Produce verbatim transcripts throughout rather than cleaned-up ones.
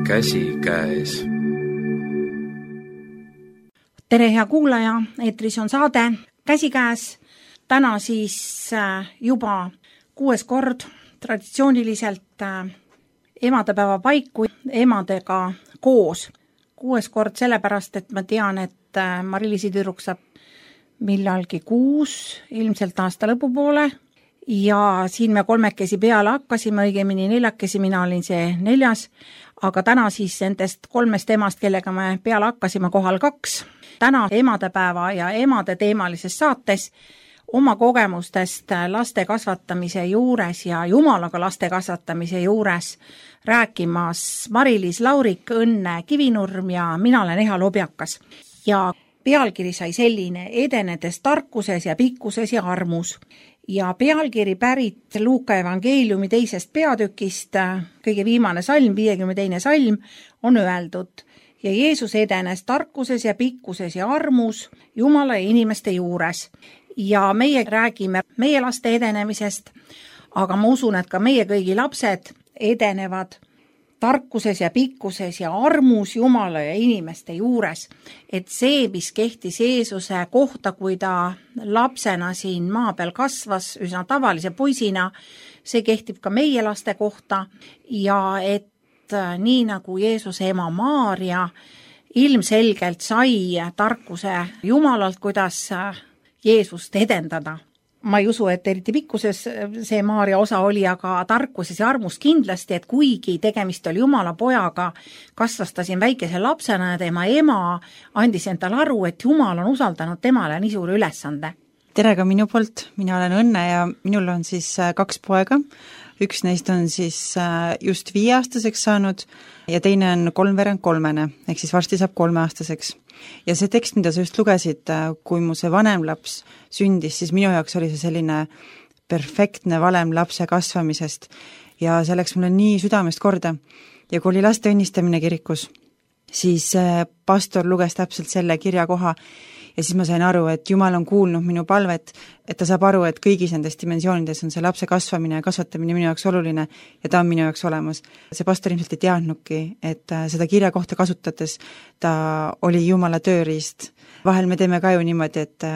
käsikäes. Tere, hea kuulaja, eetris on saade Käsikäes. Täna siis juba kuues kord traditsiooniliselt emadepäeva paiku emadega koos. Kuues kord sellepärast, et ma tean, et Mari-Liisi tüdruk saab millalgi kuus, ilmselt aasta lõpupoole. Ja siin me kolmekesi peale hakkasime, õigemini neljakesi, mina olin see neljas, aga täna siis nendest kolmest emast, kellega me peale hakkasime, kohal kaks. Täna emadepäeva ja emade teemalises saates oma kogemustest laste kasvatamise juures ja jumalaga laste kasvatamise juures rääkimas Mari-Liis Laurik, Õnne Kivinurm ja mina olen Eha Lobjakas. Ja pealkiri sai selline: edenedes tarkuses ja pikkuses ja armus. Ja pealkiri pärit Luuka evangeeliumi teisest peatükist, kõige viimane salm, viiekümne teine salm, on öeldud: ja Jeesus edenes tarkuses ja pikkuses ja armus Jumala ja inimeste juures. Ja meie räägime meie laste edenemisest, aga ma usun, et ka meie kõigi lapsed edenevad tarkuses ja pikkuses ja armus Jumala ja inimeste juures. Et see, mis kehtis Jeesuse kohta, kui ta lapsena siin maa peal kasvas, üsna tavalise poisina, see kehtib ka meie laste kohta. Ja et nii nagu Jeesuse ema Maaria ilmselgelt sai tarkuse Jumalalt, kuidas Jeesust edendada. Ma ei usu, et eriti pikkuses see Maaria osa oli, aga tarkuses ja armus kindlasti, et kuigi tegemist oli Jumala pojaga, kasvas ta siin väikese lapsena ja tema ema andis endale aru, et Jumal on usaldanud temale nii suure ülesande. Tere ka minu poolt, mina olen Õnne ja minul on siis kaks poega. Üks neist on siis just viieaastaseks saanud ja teine on kolmveerand kolmene, ehk siis varsti saab kolmeaastaseks. Ja see tekst, mida sa just lugesid, kui mu see vanem laps sündis, siis minu jaoks oli see selline perfektne valem lapse kasvamisest ja see läks mulle nii südamest korda. Ja kui oli laste õnnistamine kirikus, siis pastor luges täpselt selle kirja koha ja siis ma sain aru, et Jumal on kuulnud minu palvet, et ta saab aru, et kõigis nendes dimensioonides on see lapse kasvamine ja kasvatamine minu jaoks oluline ja ta on minu jaoks olemas. See pastor ilmselt ei teadnudki, et seda kirja kohta kasutades ta oli Jumala tööriist. Vahel me teeme ka ju niimoodi, et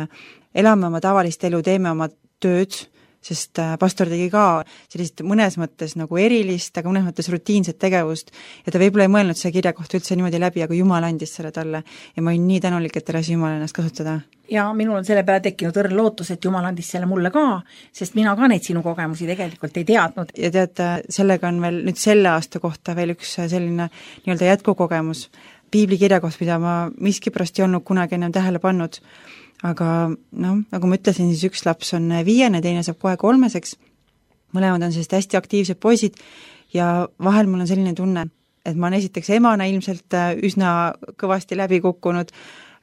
elame oma tavalist elu, teeme oma tööd, sest pastor tegi ka sellist mõnes mõttes nagu erilist, aga mõnes mõttes rutiinset tegevust ja ta võib-olla ei mõelnud see kirja kohta üldse niimoodi läbi, aga Jumal andis selle talle ja ma olin nii tänulik, et ta lasi Jumal ennast kasutada. Ja minul on selle peale tekkinud õrn lootus, et Jumal andis selle mulle ka, sest mina ka neid sinu kogemusi tegelikult ei teadnud. Ja tead, sellega on veel nüüd selle aasta kohta veel üks selline nii-öelda jätkukogemus. Piibli kirja kohta, mida ma miskipärast ei olnud kunagi ennem tähele pannud. Aga noh, nagu ma ütlesin, siis üks laps on viiene, teine saab kohe kolmeseks. Mõlemad on sellist hästi aktiivsed poisid ja vahel mul on selline tunne, et ma olen esiteks emana ilmselt üsna kõvasti läbi kukkunud.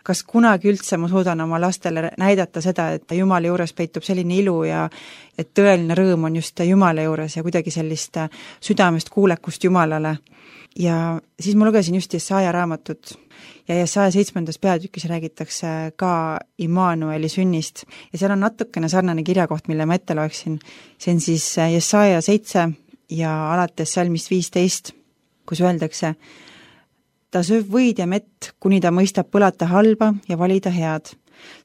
Kas kunagi üldse ma suudan oma lastele näidata seda, et Jumala juures peitub selline ilu ja et tõeline rõõm on just Jumala juures ja kuidagi sellist südamest kuulekust Jumalale. Ja siis ma lugesin just Jesaja raamatut ja Jesaja seitsmendas peatükis räägitakse ka Immanueli sünnist ja seal on natukene sarnane kirjakoht, mille ma ette loeksin. See on siis Jesaja seitse ja alates salmist viisteist, kus öeldakse: ta sööb võid ja mett, kuni ta mõistab põlata halba ja valida head.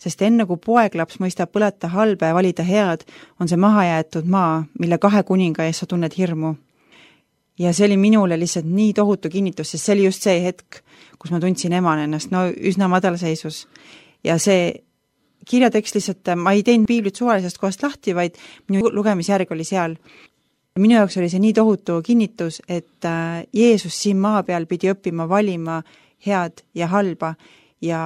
Sest enne kui poeglaps mõistab põlata halba ja valida head, on see maha jäetud maa, mille kahe kuninga ees sa tunned hirmu. Ja see oli minule lihtsalt nii tohutu kinnitus, sest see oli just see hetk, kus ma tundsin emana ennast no üsna madal seisus. Ja see kirjatekst lihtsalt, ma ei teinud piiblit suvalisest kohast lahti, vaid minu lugemisjärg oli seal. Minu jaoks oli see nii tohutu kinnitus, et Jeesus siin maa peal pidi õppima valima head ja halba ja,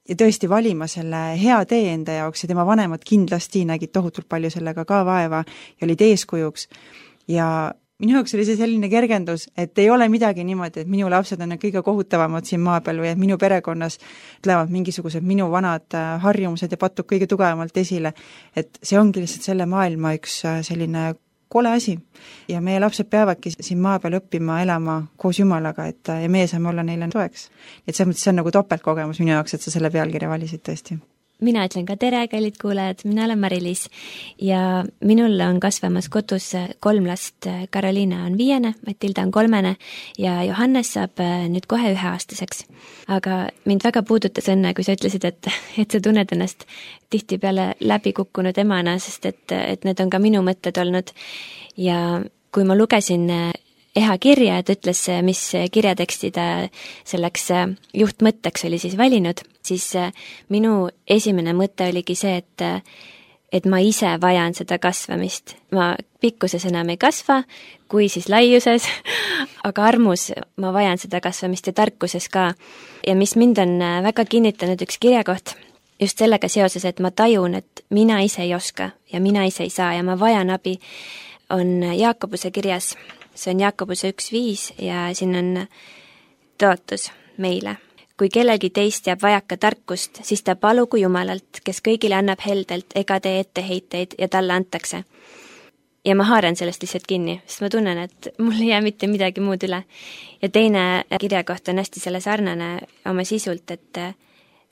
ja tõesti valima selle hea tee enda jaoks ja tema vanemad kindlasti nägid tohutult palju sellega ka vaeva ja olid eeskujuks. Ja minu jaoks oli see selline kergendus, et ei ole midagi niimoodi, et minu lapsed on kõige kohutavamad siin maa peal või et minu perekonnas tulevad mingisugused minu vanad harjumused ja patud kõige tugevamalt esile. Et see ongi lihtsalt selle maailma üks selline kole asi. Ja meie lapsed peavadki siin maa peal õppima elama koos Jumalaga, et ja meie saame olla neile toeks. Et see on nagu topeltkogemus minu jaoks, et sa selle pealkirja valisid tõesti. mina ütlen ka tere, kallid kuulajad, mina olen Mari-Liis ja minul on kasvamas kodus kolm last. Karoliina on viiene, Matilda on kolmene ja Johannes saab nüüd kohe üheaastaseks. Aga mind väga puudutas õnne, kui sa ütlesid, et, et sa tunned ennast tihtipeale läbi kukkunud emana, sest et, et need on ka minu mõtted olnud. Ja kui ma lugesin Eha kirja, et ütles, mis kirjateksti ta selleks juhtmõtteks oli siis valinud, siis minu esimene mõte oligi see, et, et ma ise vajan seda kasvamist. Ma pikkuses enam ei kasva, kui siis laiuses, aga armus ma vajan seda kasvamist ja tarkuses ka. Ja mis mind on väga kinnitanud üks kirjakoht, just sellega seoses, et ma tajun, et mina ise ei oska ja mina ise ei saa ja ma vajan abi, on Jaakobuse kirjas. See on Jaakobuse üks viis ja siin on tõotus meile. Kui kellelgi teist jääb vajaka tarkust, siis ta palugu Jumalalt, kes kõigile annab heldelt ega tee etteheiteid ja talle antakse. Ja ma haaran sellest lihtsalt kinni, sest ma tunnen, et mul ei jää mitte midagi muud üle. Ja teine kirjakoht on hästi selle sarnane oma sisult, et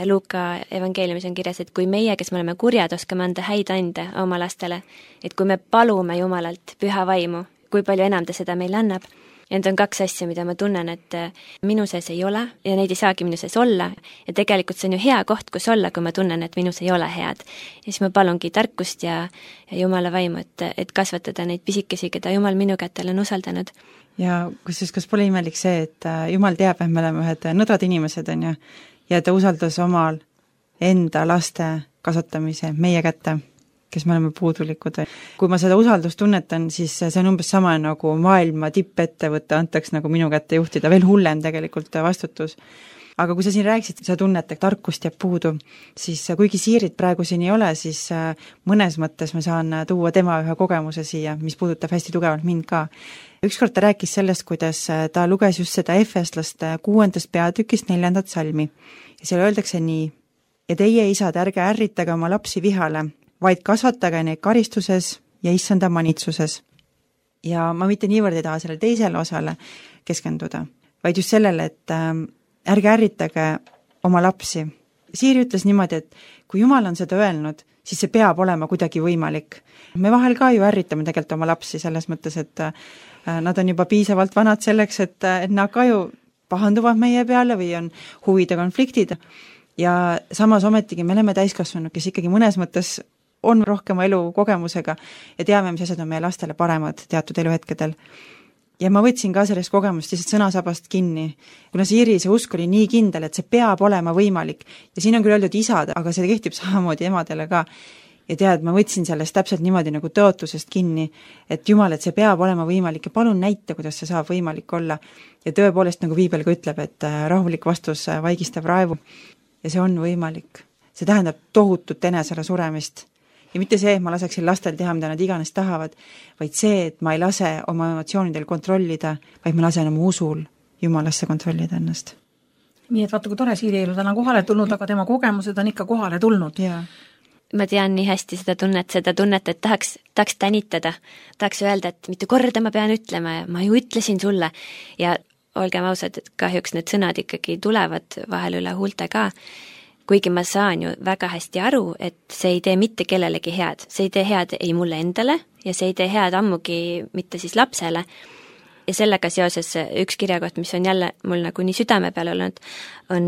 Luuka evangeeliumis on kirjas, et kui meie, kes me oleme kurjad, oskame anda häid ande oma lastele, et kui me palume Jumalalt püha vaimu, kui palju enam ta seda meile annab. Ja need on kaks asja, mida ma tunnen, et minu sees ei ole ja neid ei saagi minu sees olla. Ja tegelikult see on ju hea koht, kus olla, kui ma tunnen, et minus ei ole head. Ja siis ma palungi tarkust ja, ja Jumala vaimu, et, et kasvatada neid pisikesi, keda Jumal minu kätel on usaldanud. Ja kusjuures, kas pole imelik see, et Jumal teab, et me oleme ühed nõdrad inimesed, on ju, ja ta usaldas omal enda laste kasvatamise meie kätte, kes me oleme puudulikud. Kui ma seda usaldust tunnetan, siis see on umbes sama nagu maailma tippettevõtte antaks nagu minu kätte juhtida, veel hullem tegelikult vastutus. Aga kui sa siin rääkisid, sa tunned, et tarkust jääb puudu, siis kuigi Siirit praegu siin ei ole, siis mõnes mõttes ma saan tuua tema ühe kogemuse siia, mis puudutab hästi tugevalt mind ka. Ükskord ta rääkis sellest, kuidas ta luges just seda Efeslaste kuuendast peatükist neljandat salmi. Ja seal öeldakse nii: ja teie isad, ärge ärritage oma lapsi vihale, vaid kasvatage neid karistuses ja issanda manitsuses. Ja ma mitte niivõrd ei taha selle teisele osale keskenduda, vaid just sellele, et äh, ärge ärritage oma lapsi. Siiri ütles niimoodi, et kui Jumal on seda öelnud, siis see peab olema kuidagi võimalik. Me vahel ka ju ärritame tegelikult oma lapsi selles mõttes, et äh, nad on juba piisavalt vanad selleks, et, et nad ka ju pahanduvad meie peale või on huvide konfliktid. Ja samas ometigi me oleme täiskasvanud, kes ikkagi mõnes mõttes on rohkema elukogemusega ja teame, mis asjad on meie lastele paremad teatud eluhetkedel. Ja ma võtsin ka sellest kogemust lihtsalt sõnasabast kinni, kuna Siiri see usk oli nii kindel, et see peab olema võimalik. Ja siin on küll öeldud isad, aga see kehtib samamoodi emadele ka. Ja tead, ma võtsin sellest täpselt niimoodi nagu tõotusest kinni, et Jumal, et see peab olema võimalik ja palun näita, kuidas see saab võimalik olla. Ja tõepoolest, nagu Piibel ka ütleb, et rahulik vastus vaigistab raevu. Ja see on võimalik. See tähendab tohutut enesele suremist. Ja mitte see, et ma laseksin lastel teha, mida nad iganes tahavad, vaid see, et ma ei lase oma emotsioonidel kontrollida, vaid ma lasen oma usul Jumalasse kontrollida ennast. Nii et vaata, kui tore Siiri elu täna kohale tulnud, aga tema kogemused on ikka kohale tulnud. Ja. Ma tean nii hästi seda tunnet, seda tunnet, et tahaks, tahaks tänitada, tahaks öelda, et mitte korda ma pean ütlema ja ma ju ütlesin sulle. Ja olgem ausad, et kahjuks need sõnad ikkagi tulevad vahel üle huulte ka. Kuigi ma saan ju väga hästi aru, et see ei tee mitte kellelegi head. See ei tee head ei mulle endale ja see ei tee head ammugi mitte siis lapsele. Ja sellega seoses üks kirjakoht, mis on jälle mul nagu nii südame peal olnud, on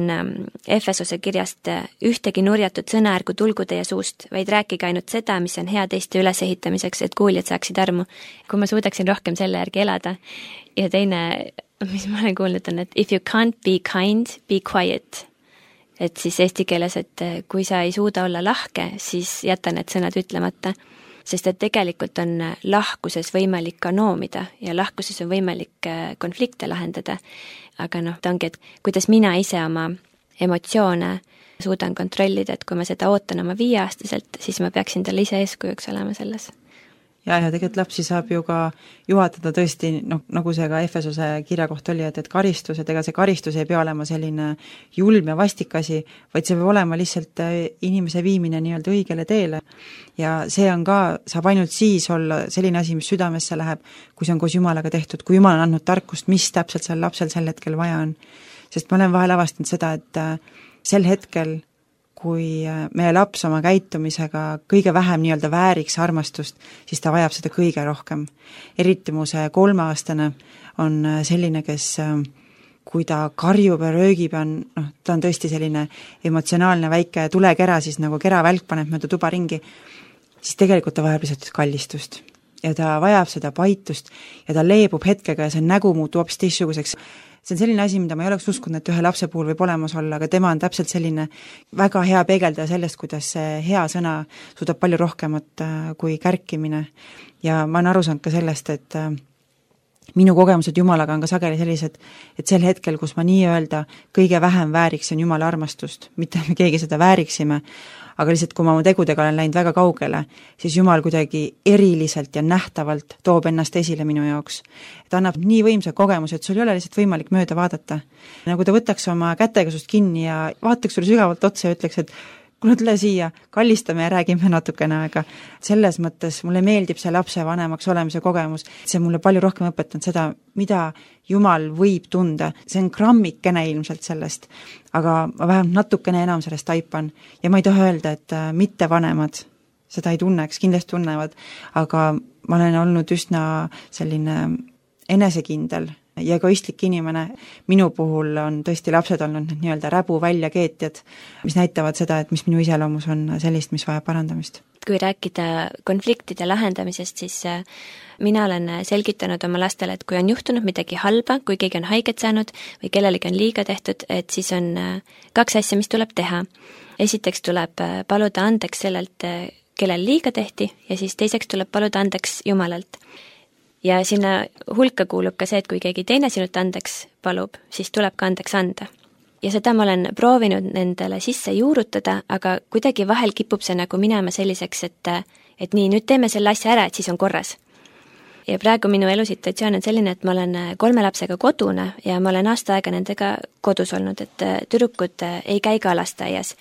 Efesose kirjast: ühtegi nurjatud sõna ärgu tulgu teie suust, vaid rääkige ainult seda, mis on hea teiste ülesehitamiseks, et kuuljad saaksid armu. Kui ma suudaksin rohkem selle järgi elada. Ja teine, mis ma olen kuulnud, on, et if you can't be kind, be quiet. Et siis eesti keeles, et kui sa ei suuda olla lahke, siis jäta need sõnad ütlemata. Sest et tegelikult on lahkuses võimalik ka noomida ja lahkuses on võimalik konflikte lahendada. Aga noh, ta ongi, et kuidas mina ise oma emotsioone suudan kontrollida, et kui ma seda ootan oma viieaastaselt, siis ma peaksin talle ise eeskujuks olema selles. Ja, ja tegelikult lapsi saab ju ka juhatada tõesti, noh, nagu see ka Efesose kirja koht oli, et, et karistus, et ega see karistus ei pea olema selline julm ja vastikasi, vaid see peab olema lihtsalt inimese viimine nii-öelda õigele teele. Ja see on ka, saab ainult siis olla selline asi, mis südamesse läheb, kui see on koos Jumalaga tehtud, kui Jumal on andnud tarkust, mis täpselt seal lapsel sel hetkel vaja on. Sest ma olen vahel avastanud seda, et sel hetkel, kui meie laps oma käitumisega kõige vähem nii-öelda vääriks armastust, siis ta vajab seda kõige rohkem. Eriti mu see kolmeaastane on selline, kes kui ta karjub ja röögib, on, noh, ta on tõesti selline emotsionaalne väike tulekera, siis nagu keravälk paneb mööda tuba ringi, siis tegelikult ta vajab lihtsalt kallistust. Ja ta vajab seda paitust ja ta leebub hetkega ja see nägu muutub hoopis teistsuguseks. See on selline asi, mida ma ei oleks uskunud, et ühe lapse puhul võib olemas olla, aga tema on täpselt selline väga hea peegeldaja sellest, kuidas see hea sõna suudab palju rohkemat kui kärkimine. Ja ma olen aru saanud ka sellest, et minu kogemused Jumalaga on ka sageli sellised, et sel hetkel, kus ma nii-öelda kõige vähem vääriksin Jumala armastust, mitte me keegi seda vääriksime, aga lihtsalt kui ma oma tegudega olen läinud väga kaugele, siis Jumal kuidagi eriliselt ja nähtavalt toob ennast esile minu jaoks. Ta annab nii võimsa kogemuse, et sul ei ole lihtsalt võimalik mööda vaadata. Nagu ta võtaks oma kätega sust kinni ja vaataks sulle sügavalt otsa ja ütleks, et kuule, tule siia, kallistame ja räägime natukene aega. Selles mõttes mulle meeldib see lapse vanemaks olemise kogemus. See mulle palju rohkem õpetanud seda, mida Jumal võib tunda. See on grammikene ilmselt sellest, aga ma vähemalt natukene enam sellest taipan. Ja ma ei taha öelda, et mitte vanemad seda ei tunneks, kindlasti tunnevad, aga ma olen olnud üsna selline enesekindel ja egoistlik inimene. Minu puhul on tõesti lapsed olnud nii-öelda räbu väljakeetjad, mis näitavad seda, et mis minu iseloomus on sellist, mis vajab parandamist. Kui rääkida konfliktide lahendamisest, siis mina olen selgitanud oma lastele, et kui on juhtunud midagi halba, kui keegi on haiget saanud või kellelegi on liiga tehtud, et siis on kaks asja, mis tuleb teha. Esiteks tuleb paluda andeks sellelt, kellel liiga tehti, ja siis teiseks tuleb paluda andeks Jumalalt. Ja sinna hulka kuulub ka see, et kui keegi teine sinult andeks palub, siis tuleb ka andeks anda. Ja seda ma olen proovinud nendele sisse juurutada, aga kuidagi vahel kipub see nagu minema selliseks, et, et nii, nüüd teeme selle asja ära, et siis on korras. Ja praegu minu elusituatsioon on selline, et ma olen kolme lapsega kodune ja ma olen aasta aega nendega kodus olnud, et tüdrukud ei käi ka lasteaias.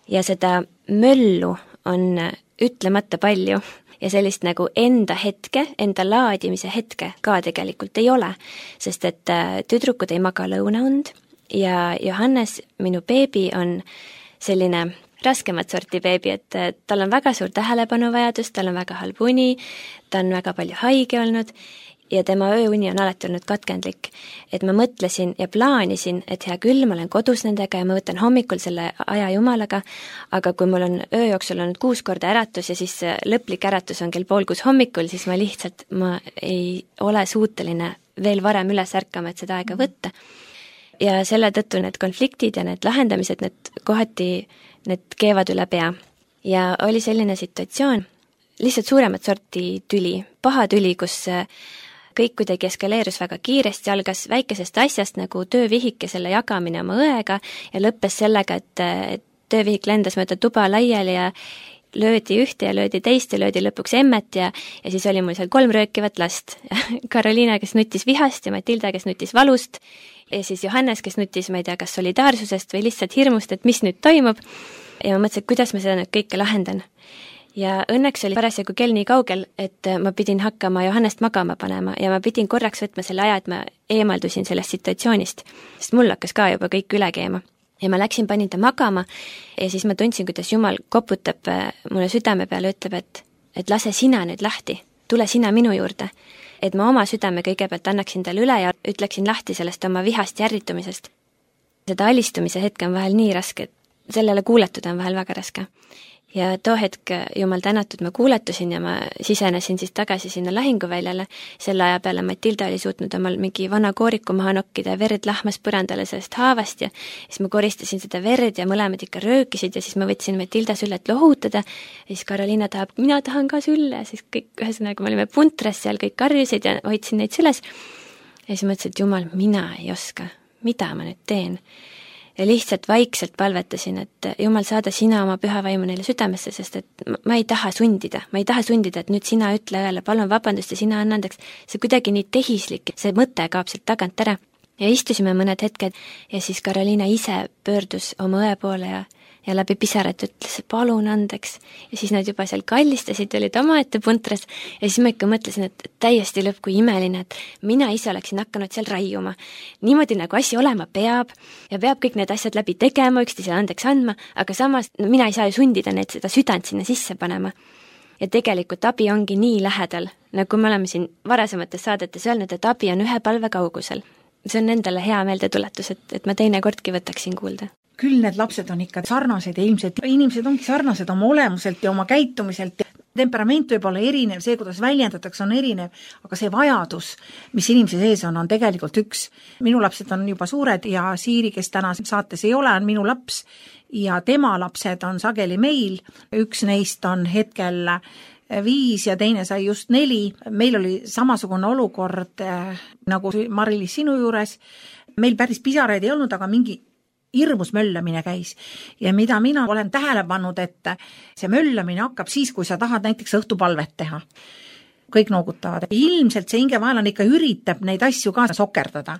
Ja seda möllu on ütlemata palju. Ja sellist nagu enda hetke, enda laadimise hetke ka tegelikult ei ole, sest et tüdrukud ei maga lõunaund ja Johannes, minu beebi, on selline raskemat sorti beebi, et tal on väga suur tähelepanuvajadus, tal on väga halb uni, ta on väga palju haige olnud ja tema ööuni on alati olnud katkendlik. Et ma mõtlesin ja plaanisin, et hea küll, ma olen kodus nendega ja ma võtan hommikul selle aja Jumalaga, aga kui mul on öö jooksul olnud kuus korda äratus ja siis lõplik äratus on kell pool kuus hommikul, siis ma lihtsalt, ma ei ole suuteline veel varem üles ärkama, et seda aega võtta. Ja selle tõttu need konfliktid ja need lahendamised, need kohati, need keevad üle pea. Ja oli selline situatsioon, lihtsalt suuremat sorti tüli, paha tüli, kus kõik kuidagi eskaleerus väga kiiresti, algas väikesest asjast nagu töövihike selle jagamine oma õega ja lõppes sellega, et töövihik lendas mööda tuba laiali ja löödi ühte ja löödi teist ja löödi lõpuks emmet ja, ja siis oli mul seal kolm röökivat last. Karoliina, kes nutis vihast ja Matilda, kes nutis valust ja siis Johannes, kes nutis, ma ei tea, kas solidaarsusest või lihtsalt hirmust, et mis nüüd toimub. Ja ma mõtlesin, et kuidas ma seda nüüd kõike lahendan. Ja õnneks oli parasjagu kell nii kaugel, et ma pidin hakkama Johannest magama panema ja ma pidin korraks võtma selle aja, et ma eemaldusin sellest situatsioonist, sest mul hakkas ka juba kõik üle keema. Ja ma läksin, panin ta magama ja siis ma tundsin, kuidas Jumal koputab mulle südame peale ja ütleb, et, et lase sina nüüd lahti, tule sina minu juurde. Et ma oma südame kõigepealt annaksin talle üle ja ütleksin lahti sellest oma vihast ja ärritumisest. Seda alistumise hetke on vahel nii raske, et sellele kuuletuda on vahel väga raske. Ja too hetk, Jumal tänatud, ma kuuletusin ja ma sisenesin siis tagasi sinna lahinguväljale. Selle aja peale Matilda oli suutnud omal mingi vana kooriku maha nokkida ja verd lahmas põrandale sellest haavast ja siis ma koristasin seda verd ja mõlemad ikka röökisid ja siis ma võtsin Matilda süllet lohutada ja siis Karoliina tahab, mina tahan ka sülle ja siis kõik ühesõnaga me olime puntras seal, kõik karjusid ja hoidsin neid süles ja siis mõtlesin, et Jumal, mina ei oska, mida ma nüüd teen. Ja lihtsalt vaikselt palvetasin, et Jumal, saada sina oma püha vaimu neile südamesse, sest et ma ei taha sundida, ma ei taha sundida, et nüüd sina ütle õele, palun vabandust ja sina anna andeks. See kuidagi nii tehislik, see mõte kaob sealt tagant ära. Ja istusime mõned hetked ja siis Karoliina ise pöördus oma õe poole ja ja läbi pisarat ütles, palun andeks. Ja siis nad juba seal kallistasid, olid omaette puntras ja siis ma ikka mõtlesin, et täiesti lõpp, kui imeline, et mina ise oleksin hakanud seal raiuma. Niimoodi nagu asi olema peab ja peab kõik need asjad läbi tegema, üksteisele andeks andma, aga samas no, mina ei saa ju sundida neid seda südant sinna sisse panema. Ja tegelikult abi ongi nii lähedal, nagu me oleme siin varasemates saadetes öelnud, et abi on ühe palve kaugusel. See on endale hea meeldetuletus, et, et ma teine kordki võtaksin kuulda. Küll need lapsed on ikka sarnased ja ilmselt inimesed ongi sarnased oma olemuselt ja oma käitumiselt. Temperament võib olla erinev, see, kuidas väljendatakse, on erinev, aga see vajadus, mis inimese sees on, on tegelikult üks. Minu lapsed on juba suured ja Siiri, kes täna saates ei ole, on minu laps ja tema lapsed on sageli meil. Üks neist on hetkel viis ja teine sai just neli. Meil oli samasugune olukord nagu Mari-Liis sinu juures. Meil päris pisaraid ei olnud, aga mingi hirmus möllamine käis. Ja mida mina olen tähele pannud, et see möllamine hakkab siis, kui sa tahad näiteks õhtupalvet teha. Kõik noogutavad. Ilmselt see hingevaelane ikka üritab neid asju ka sokerdada.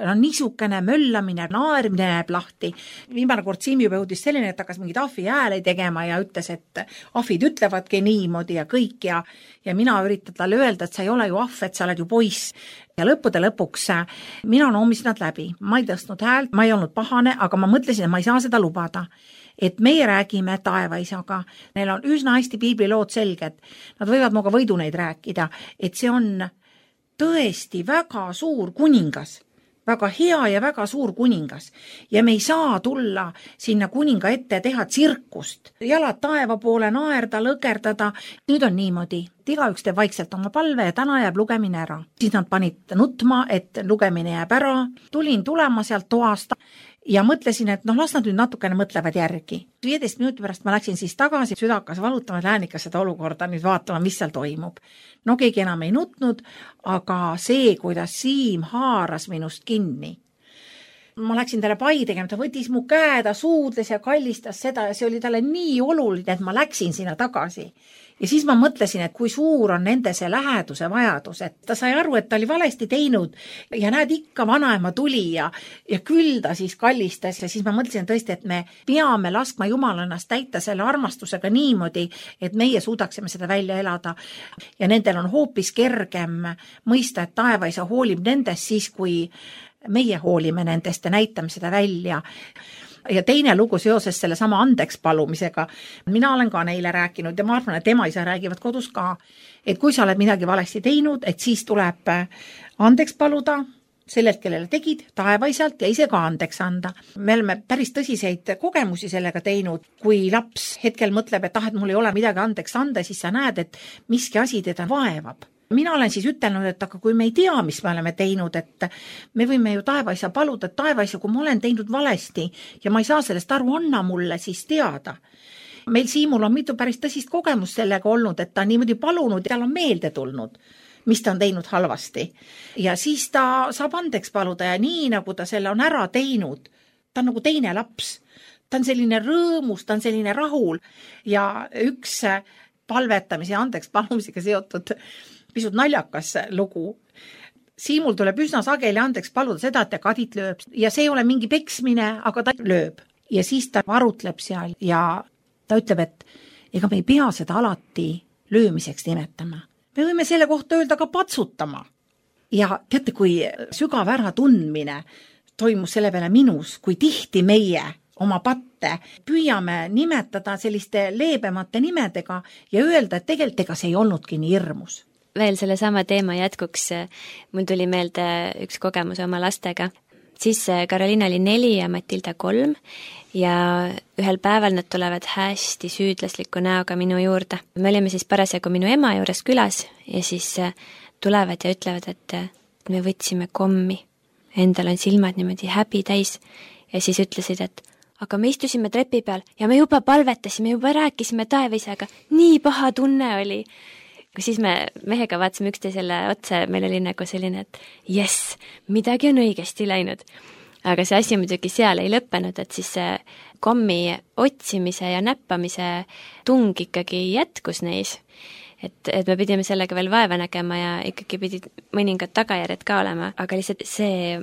No niisugune möllamine, naerimine jääb lahti. Viimane kord Siim juba jõudis selline, et hakkas mingid ahvi hääle tegema ja ütles, et ahvid ütlevadki niimoodi ja kõik ja, ja mina üritan talle öelda, et sa ei ole ju ahv, et sa oled ju poiss. Ja lõppude lõpuks mina noomisin nad läbi. Ma ei tõstnud häält, ma ei olnud pahane, aga ma mõtlesin, et ma ei saa seda lubada. Et meie räägime taevaisaga. Neil on üsna hästi piiblilood selged. Nad võivad muga võidu neid rääkida, et see on tõesti väga suur kuningas. Väga hea ja väga suur kuningas. Ja me ei saa tulla sinna kuninga ette teha tsirkust. Jalad taeva poole naerda, lõgerdada. Nüüd on niimoodi. Igaüks teeb vaikselt oma palve ja täna jääb lugemine ära. Siis nad panid nutma, et lugemine jääb ära. Tulin tulema sealt toast ja mõtlesin, et noh, las nad nüüd natukene mõtlevad järgi. viieteist minuti pärast ma läksin siis tagasi, süda hakkas valutama, et lähen ikka seda olukorda nüüd vaatama, mis seal toimub. No keegi enam ei nutnud, aga see, kuidas Siim haaras minust kinni. Ma läksin talle pai tegema, ta võttis mu käe, ta suudles ja kallistas seda ja see oli talle nii oluline, et ma läksin sinna tagasi. Ja siis ma mõtlesin, et kui suur on nende see läheduse vajadus, et ta sai aru, et ta oli valesti teinud ja näed ikka vanaema tuli ja, ja küll ta siis kallistas ja siis ma mõtlesin tõesti, et me peame laskma Jumal ennast täita selle armastusega niimoodi, et meie suudaksime seda välja elada ja nendel on hoopis kergem mõista, et taevaisa hoolib nendest siis, kui meie hoolime nendest ja näitame seda välja. Ja teine lugu seoses selle sama andeks palumisega. Mina olen ka neile rääkinud ja ma arvan, et ema isa räägivad kodus ka, et kui sa oled midagi valesti teinud, et siis tuleb andeks paluda sellelt, kellele tegid, taevaisalt ja ise ka andeks anda. Me oleme päris tõsiseid kogemusi sellega teinud. Kui laps hetkel mõtleb, et ah, et mul ei ole midagi andeks anda, siis sa näed, et miski asi teda vaevab. Mina olen siis ütelnud, et aga kui me ei tea, mis me oleme teinud, et me võime ju taevaisa paluda, et taevaisa, kui ma olen teinud valesti ja ma ei saa sellest aru, anna mulle siis teada. Meil Siimul on mitu päris tõsist kogemust sellega olnud, et ta on niimoodi palunud ja tal on meelde tulnud, mis ta on teinud halvasti. Ja siis ta saab andeks paluda ja nii, nagu ta selle on ära teinud, ta on nagu teine laps. Ta on selline rõõmus, ta on selline rahul ja üks palvetamise ja andeks palumisega seotud pisut naljakas lugu. Siimul tuleb üsna sageli andeks paluda seda, et ta kadit lööb. Ja see ei ole mingi peksmine, aga ta lööb. Ja siis ta arutleb seal ja ta ütleb, et ega me ei pea seda alati löömiseks nimetama. Me võime selle kohta öelda ka patsutama. Ja teate, kui sügav ära tundmine toimus selle peale minus, kui tihti meie oma patte püüame nimetada selliste leebemate nimedega ja öelda, et tegelikult ega see ei olnudki nii hirmus. Veel selle sama teema jätkuks, mul tuli meelde üks kogemus oma lastega. Siis Karoliina oli neli ja Matilda kolm ja ühel päeval nad tulevad hästi süüdlasliku näoga minu juurde. Me olime siis parasjagu minu ema juures külas ja siis tulevad ja ütlevad, et me võtsime kommi. Endal on silmad niimoodi häbi täis ja siis ütlesid, et aga me istusime trepi peal ja me juba palvetasime, juba rääkisime taevaisaga. Nii paha tunne oli. Siis me mehega vaatasime üksteisele otsa, meil oli nagu selline, et jess, midagi on õigesti läinud. Aga see asi muidugi seal ei lõppenud, et siis see kommi otsimise ja näppamise tung ikkagi jätkus neis. Et, et me pidime sellega veel vaeva nägema ja ikkagi pidid mõningad tagajärjed ka olema, aga lihtsalt see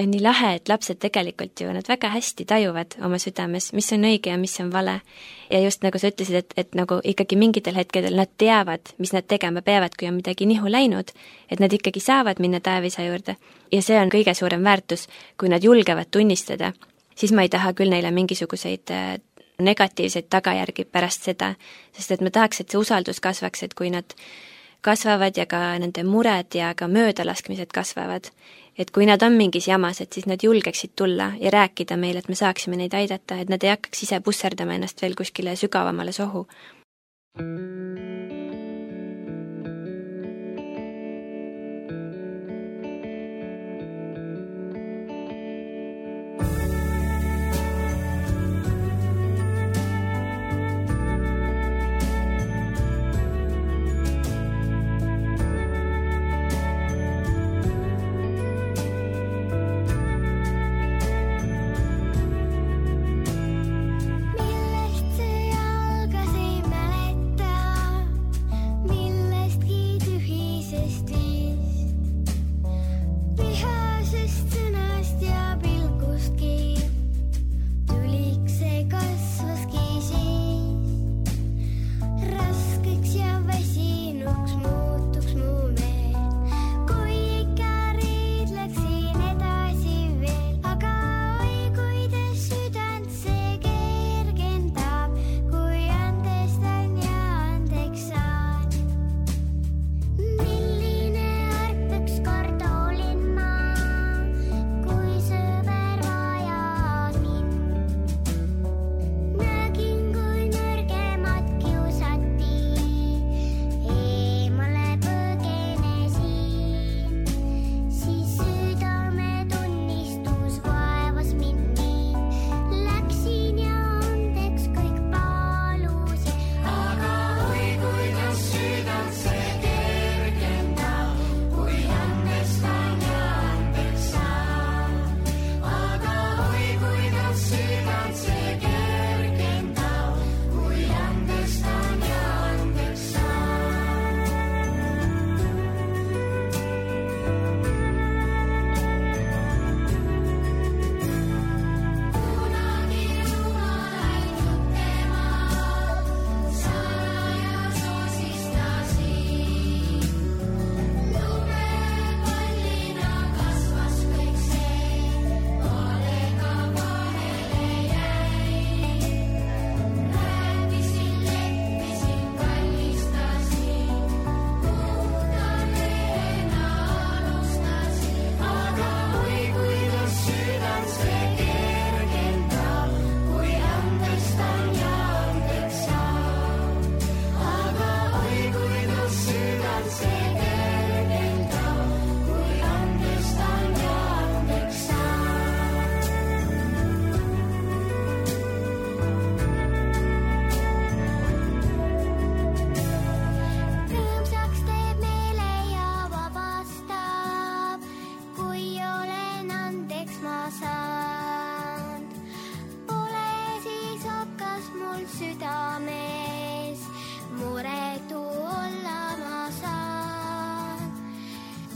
nii lahe, et lapsed tegelikult ju, nad väga hästi tajuvad oma südames, mis on õige ja mis on vale. Ja just nagu sa ütlesid, et, et nagu ikkagi mingitel hetkedel nad teavad, mis nad tegema peavad, kui on midagi nihu läinud, et nad ikkagi saavad minna Taevisa juurde. Ja see on kõige suurem väärtus, kui nad julgevad tunnistada, siis ma ei taha küll neile mingisuguseid negatiivseid tagajärgi pärast seda, sest et ma tahaks, et see usaldus kasvaks, et kui nad kasvavad ja ka nende mured ja ka möödalaskmised kasvavad, et kui nad on mingis jamas, et siis nad julgeksid tulla ja rääkida meile, et me saaksime neid aidata, et nad ei hakkaks ise pusserdama ennast veel kuskile sügavamale sohu.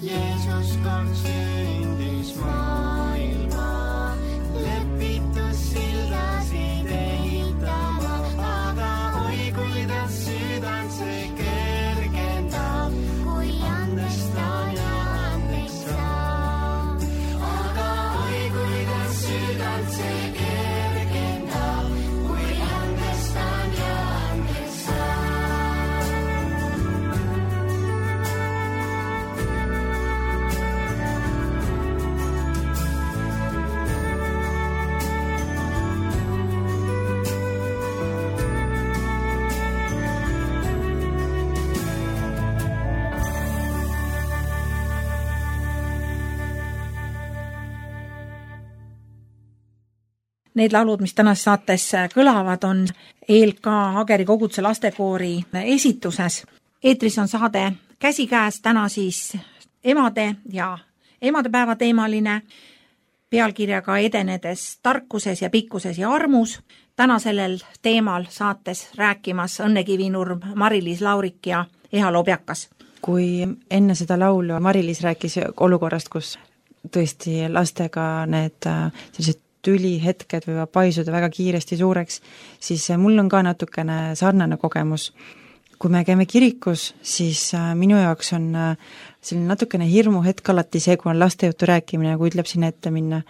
Jeesus kord sündis maailma, lepitus sildasid ehitama, aga oi kuidas südant see kergendab, kui andestan ja andeks saab. Aga oi kuidas südant see kergendab, kui andestan ja andeks saab. Need laulud, mis tänases saates kõlavad, on E L K Ageri koguduse lastekoori esituses. Eetris on saade Käsikäes, täna siis emade ja emadepäeva teemaline, pealkirjaga Edenedes tarkuses ja pikkuses ja armus. Täna sellel teemal saates rääkimas Õnne Kivinurm, Mari-Liis Laurik ja Eha Lobjakas. Kui enne seda laulu Mari-Liis rääkis olukorrast, kus tõesti lastega need sellised tülihetked võivad paisuda väga kiiresti suureks, siis mul on ka natukene sarnane kogemus. Kui me käime kirikus, siis minu jaoks on selline natukene hirmu hetk alati see, kui on laste juttu rääkimine, kui ütleb sinna ette minna,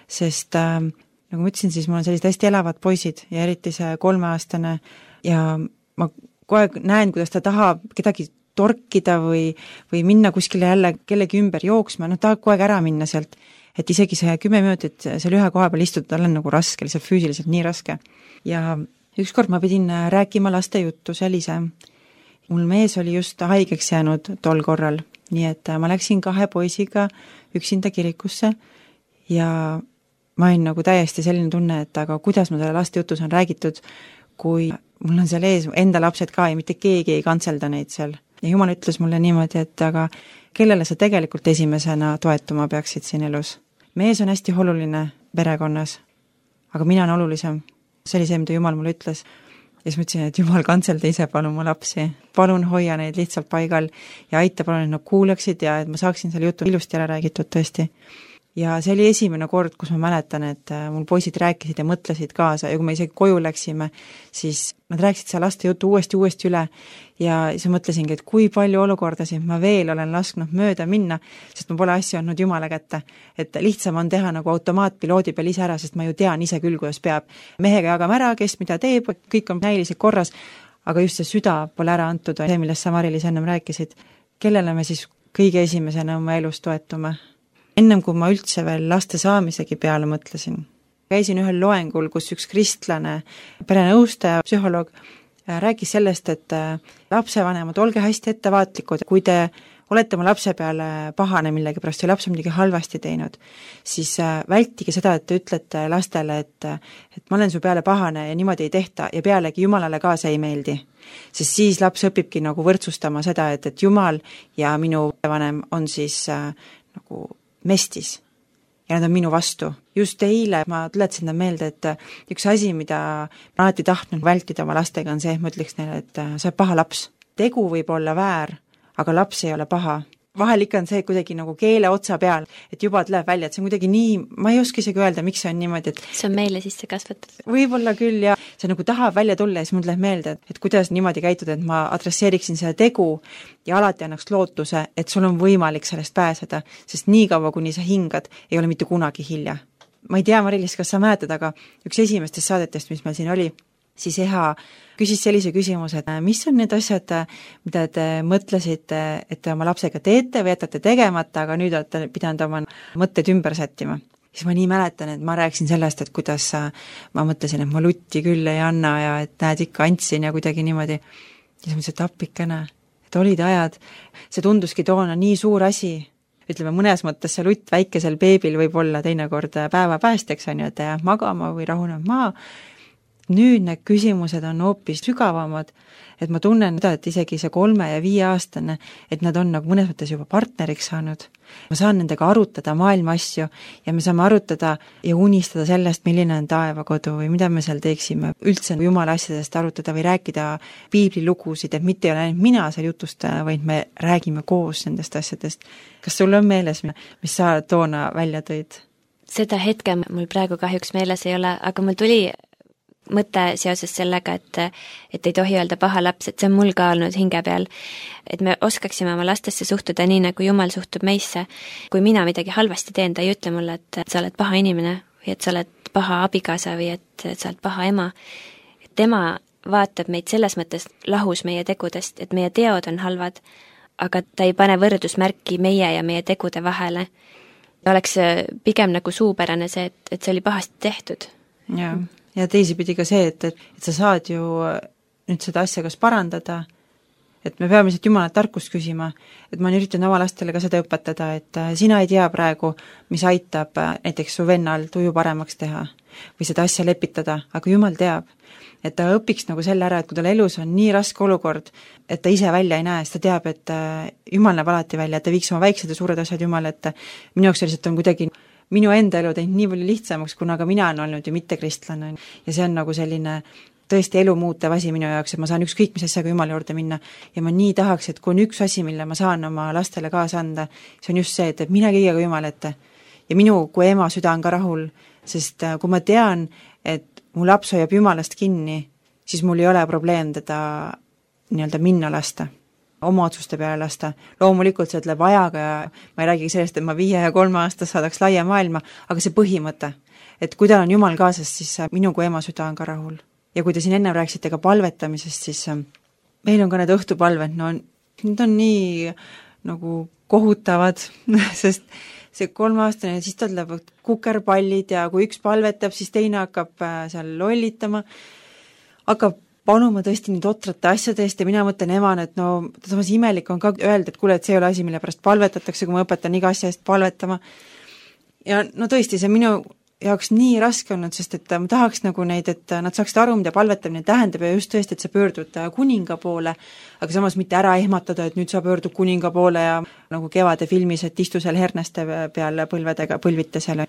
sest nagu ma ütlesin, siis mul on sellised hästi elavad poisid ja eriti see kolmeaastane ja ma kogu aeg näen, kuidas ta tahab kedagi torkida või, või minna kuskile jälle kellegi ümber jooksma, noh tahab kogu aeg ära minna sealt, et isegi see kümme minutit seal ühe koha peal istuda, tal on nagu raske, lihtsalt füüsiliselt nii raske. Ja ükskord ma pidin rääkima laste juttu seal ise. Mul mees oli just haigeks jäänud tol korral, nii et ma läksin kahe poisiga üksinda kirikusse ja ma olin nagu täiesti selline tunne, et aga kuidas ma selle laste jutus on räägitud, kui mul on seal ees enda lapsed ka ja mitte keegi ei kantselda neid seal. Ja Jumal ütles mulle niimoodi, et aga kellele sa tegelikult esimesena toetuma peaksid siin elus. Mees on hästi oluline perekonnas, aga mina on olulisem. See oli see, mida Jumal mulle ütles. Ja siis ma ütlesin, et Jumal, kantselda ise palun mu lapsi. Palun hoia neid lihtsalt paigal ja aita palun, et nad kuuleksid ja et ma saaksin selle jutu ilusti ära räägitud tõesti. Ja see oli esimene kord, kus ma mäletan, et mul poisid rääkisid ja mõtlesid kaasa ja kui me isegi koju läksime, siis nad rääkisid seal laste jutu uuesti, uuesti üle ja siis mõtlesingi, et kui palju olukordasid ma veel olen lasknud mööda minna, sest ma pole asja andnud Jumala kätte. Et lihtsam on teha nagu automaatpiloodi peal ise ära, sest ma ju tean ise küll, kuidas peab. Mehega jagame ära, kes mida teeb, kõik on näiliselt korras, aga just see süda pole ära antud, see, millest sa Mari-Liis ennem rääkisid. Kellele me siis kõige esimesena oma elus toetume? Ennem kui ma üldse veel laste saamisegi peale mõtlesin. Käisin ühel loengul, kus üks kristlane perenõustaja, psühholoog rääkis sellest, et lapsevanemad, olge hästi ettevaatlikud, kui te olete oma lapse peale pahane millegi pärast ja laps on midagi halvasti teinud, siis vältige seda, et te ütlete lastele, et, et ma olen su peale pahane ja niimoodi ei tehta ja pealegi Jumalale ka see ei meeldi. Sest siis laps õpibki nagu võrdsustama seda, et, et Jumal ja minu vanem on siis äh, nagu mestis ja nad on minu vastu. Just eile ma tuletasin seda meelde, et üks asi, mida ma alati tahtnud vältida oma lastega on see, et ma ütleks neile, et sa oled paha laps. Tegu võib olla väär, aga laps ei ole paha. Vahel ikka on see kuidagi nagu keele otsa peal, et juba tuleb välja, et see on kuidagi nii, ma ei oska isegi öelda, miks see on niimoodi, et see on meile sisse kasvatud. Võib-olla küll ja see nagu tahab välja tulla ja siis mul tuleb meelde, et, et kuidas niimoodi käituda, et ma adresseeriksin seda tegu ja alati annaks lootuse, et sul on võimalik sellest pääseda, sest nii kaua, kuni sa hingad, ei ole mitte kunagi hilja. Ma ei tea, Mari-Liis, kas sa mäletad, aga üks esimestest saadetest, mis meil siin oli, siis Eha küsis sellise küsimuse, et mis on need asjad, mida te mõtlesite, et te oma lapsega teete või jätate tegemata, aga nüüd olete pidanud oma mõtted ümber sättima. Siis ma nii mäletan, et ma rääksin sellest, et kuidas ma mõtlesin, et ma lutti küll ei anna ja et näed ikka andsin ja kuidagi niimoodi. Ja siis mõtlesin, et appikene, et olid ajad, see tunduski toona nii suur asi, ütleme mõnes mõttes see lutt väikesel beebil võib olla teinekord päeva päästeks, on ju, et jääb magama või rahuneb maa. Nüüd need küsimused on hoopis sügavamad, et ma tunnen seda, et isegi see kolme ja viie aastane, et nad on nagu mõnes mõttes juba partneriks saanud. Ma saan nendega arutada maailma asju ja me saame arutada ja unistada sellest, milline on taevakodu või mida me seal teeksime. Üldse Jumala asjadest arutada või rääkida piiblilugusid, et mitte ei ole ainult mina seal jutustaja, vaid me räägime koos nendest asjadest. Kas sul on meeles, mis sa toona välja tõid? Seda hetke mul praegu kahjuks meeles ei ole, aga mul tuli mõte seoses sellega, et, et ei tohi öelda paha laps, et see on mul ka olnud hinge peal, et me oskaksime oma lastesse suhtuda nii, nagu Jumal suhtub meisse. Kui mina midagi halvasti teen, ta ei ütle mulle, et sa oled paha inimene või et sa oled paha abikaasa või et, et sa oled paha ema. Tema vaatab meid selles mõttes lahus meie tegudest, et meie teod on halvad, aga ta ei pane võrdusmärki meie ja meie tegude vahele. Oleks pigem nagu suupärane see, et, et see oli pahasti tehtud. Jaa. Ja teisipidi ka see, et, et, et sa saad ju nüüd seda asja kas parandada, et me peame lihtsalt Jumala tarkust küsima, et ma üritan oma lastele ka seda õpetada, et sina ei tea praegu, mis aitab näiteks su vennal tuju paremaks teha või seda asja lepitada, aga Jumal teab, et ta õpiks nagu selle ära, et kui tal elus on nii raske olukord, et ta ise välja ei näe, siis ta teab, et Jumal näeb alati välja, et ta viiks oma väiksed ja suured asjad Jumal, et minu jaoks lihtsalt on kuidagi minu enda elu teinud nii palju lihtsamaks, kuna ka mina olen olnud ju mitte kristlane ja see on nagu selline tõesti elu muutev asi minu jaoks, et ma saan ükskõik mis asjaga Jumala juurde minna ja ma nii tahaks, et kui on üks asi, mille ma saan oma lastele kaasa anda, see on just see, et, et mine kõigega Jumal ette, ja minu kui ema süda on ka rahul, sest kui ma tean, et mu laps hoiab Jumalast kinni, siis mul ei ole probleem teda nii-öelda minna lasta, oma otsuste peale lasta. Loomulikult see ütleb ajaga ja ma ei räägigi sellest, et ma viie ja kolme aastas saadaks laia maailma, aga see põhimõte, et kui tal on Jumal kaasas, siis minu kui ema süda on ka rahul. Ja kui te siin enne rääksite ka palvetamisest, siis meil on ka need õhtupalved, no need on nii nagu kohutavad, sest see kolmeaastane, siis tal lähevad kukerpallid ja kui üks palvetab, siis teine hakkab seal lollitama, hakkab panuma tõesti nii totrate asjade eest ja mina mõtlen emana, et no samas imelik on ka öelda, et kuule, et see ei ole asi, mille pärast palvetatakse, kui ma õpetan iga asja eest palvetama. Ja no tõesti, see minu jaoks nii raske olnud, sest et ma tahaks nagu neid, et nad saaksid aru, mida palvetamine tähendab ja just tõesti, et sa pöördud kuninga poole, aga samas mitte ära ehmatada, et nüüd sa pöördud kuninga poole ja nagu Kevade filmis, et istu seal herneste peal põlvedega, põlvite seal.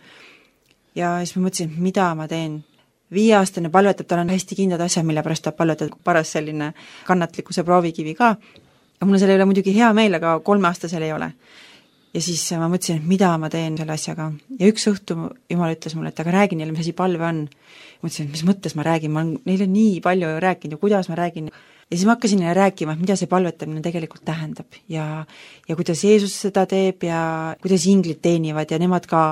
Ja siis ma mõtlesin, mida ma teen. Viieaastane palvetab, tal on hästi kindlad asjad, mille pärast ta palvetab, paras selline kannatlikkuse proovikivi ka. Ja mul on selle üle muidugi hea meel, aga kolmeaastasel ei ole. Ja siis ma mõtlesin, et mida ma teen selle asjaga. Ja üks õhtu Jumal ütles mulle, et aga räägi neile, mis asi palve on. Mõtlesin, et mis mõttes ma räägin, ma olen neile nii palju rääkinud ja kuidas ma räägin. Ja siis ma hakkasin neile rääkima, mida see palvetamine tegelikult tähendab ja, ja kuidas Jeesus seda teeb ja kuidas inglid teenivad ja nemad ka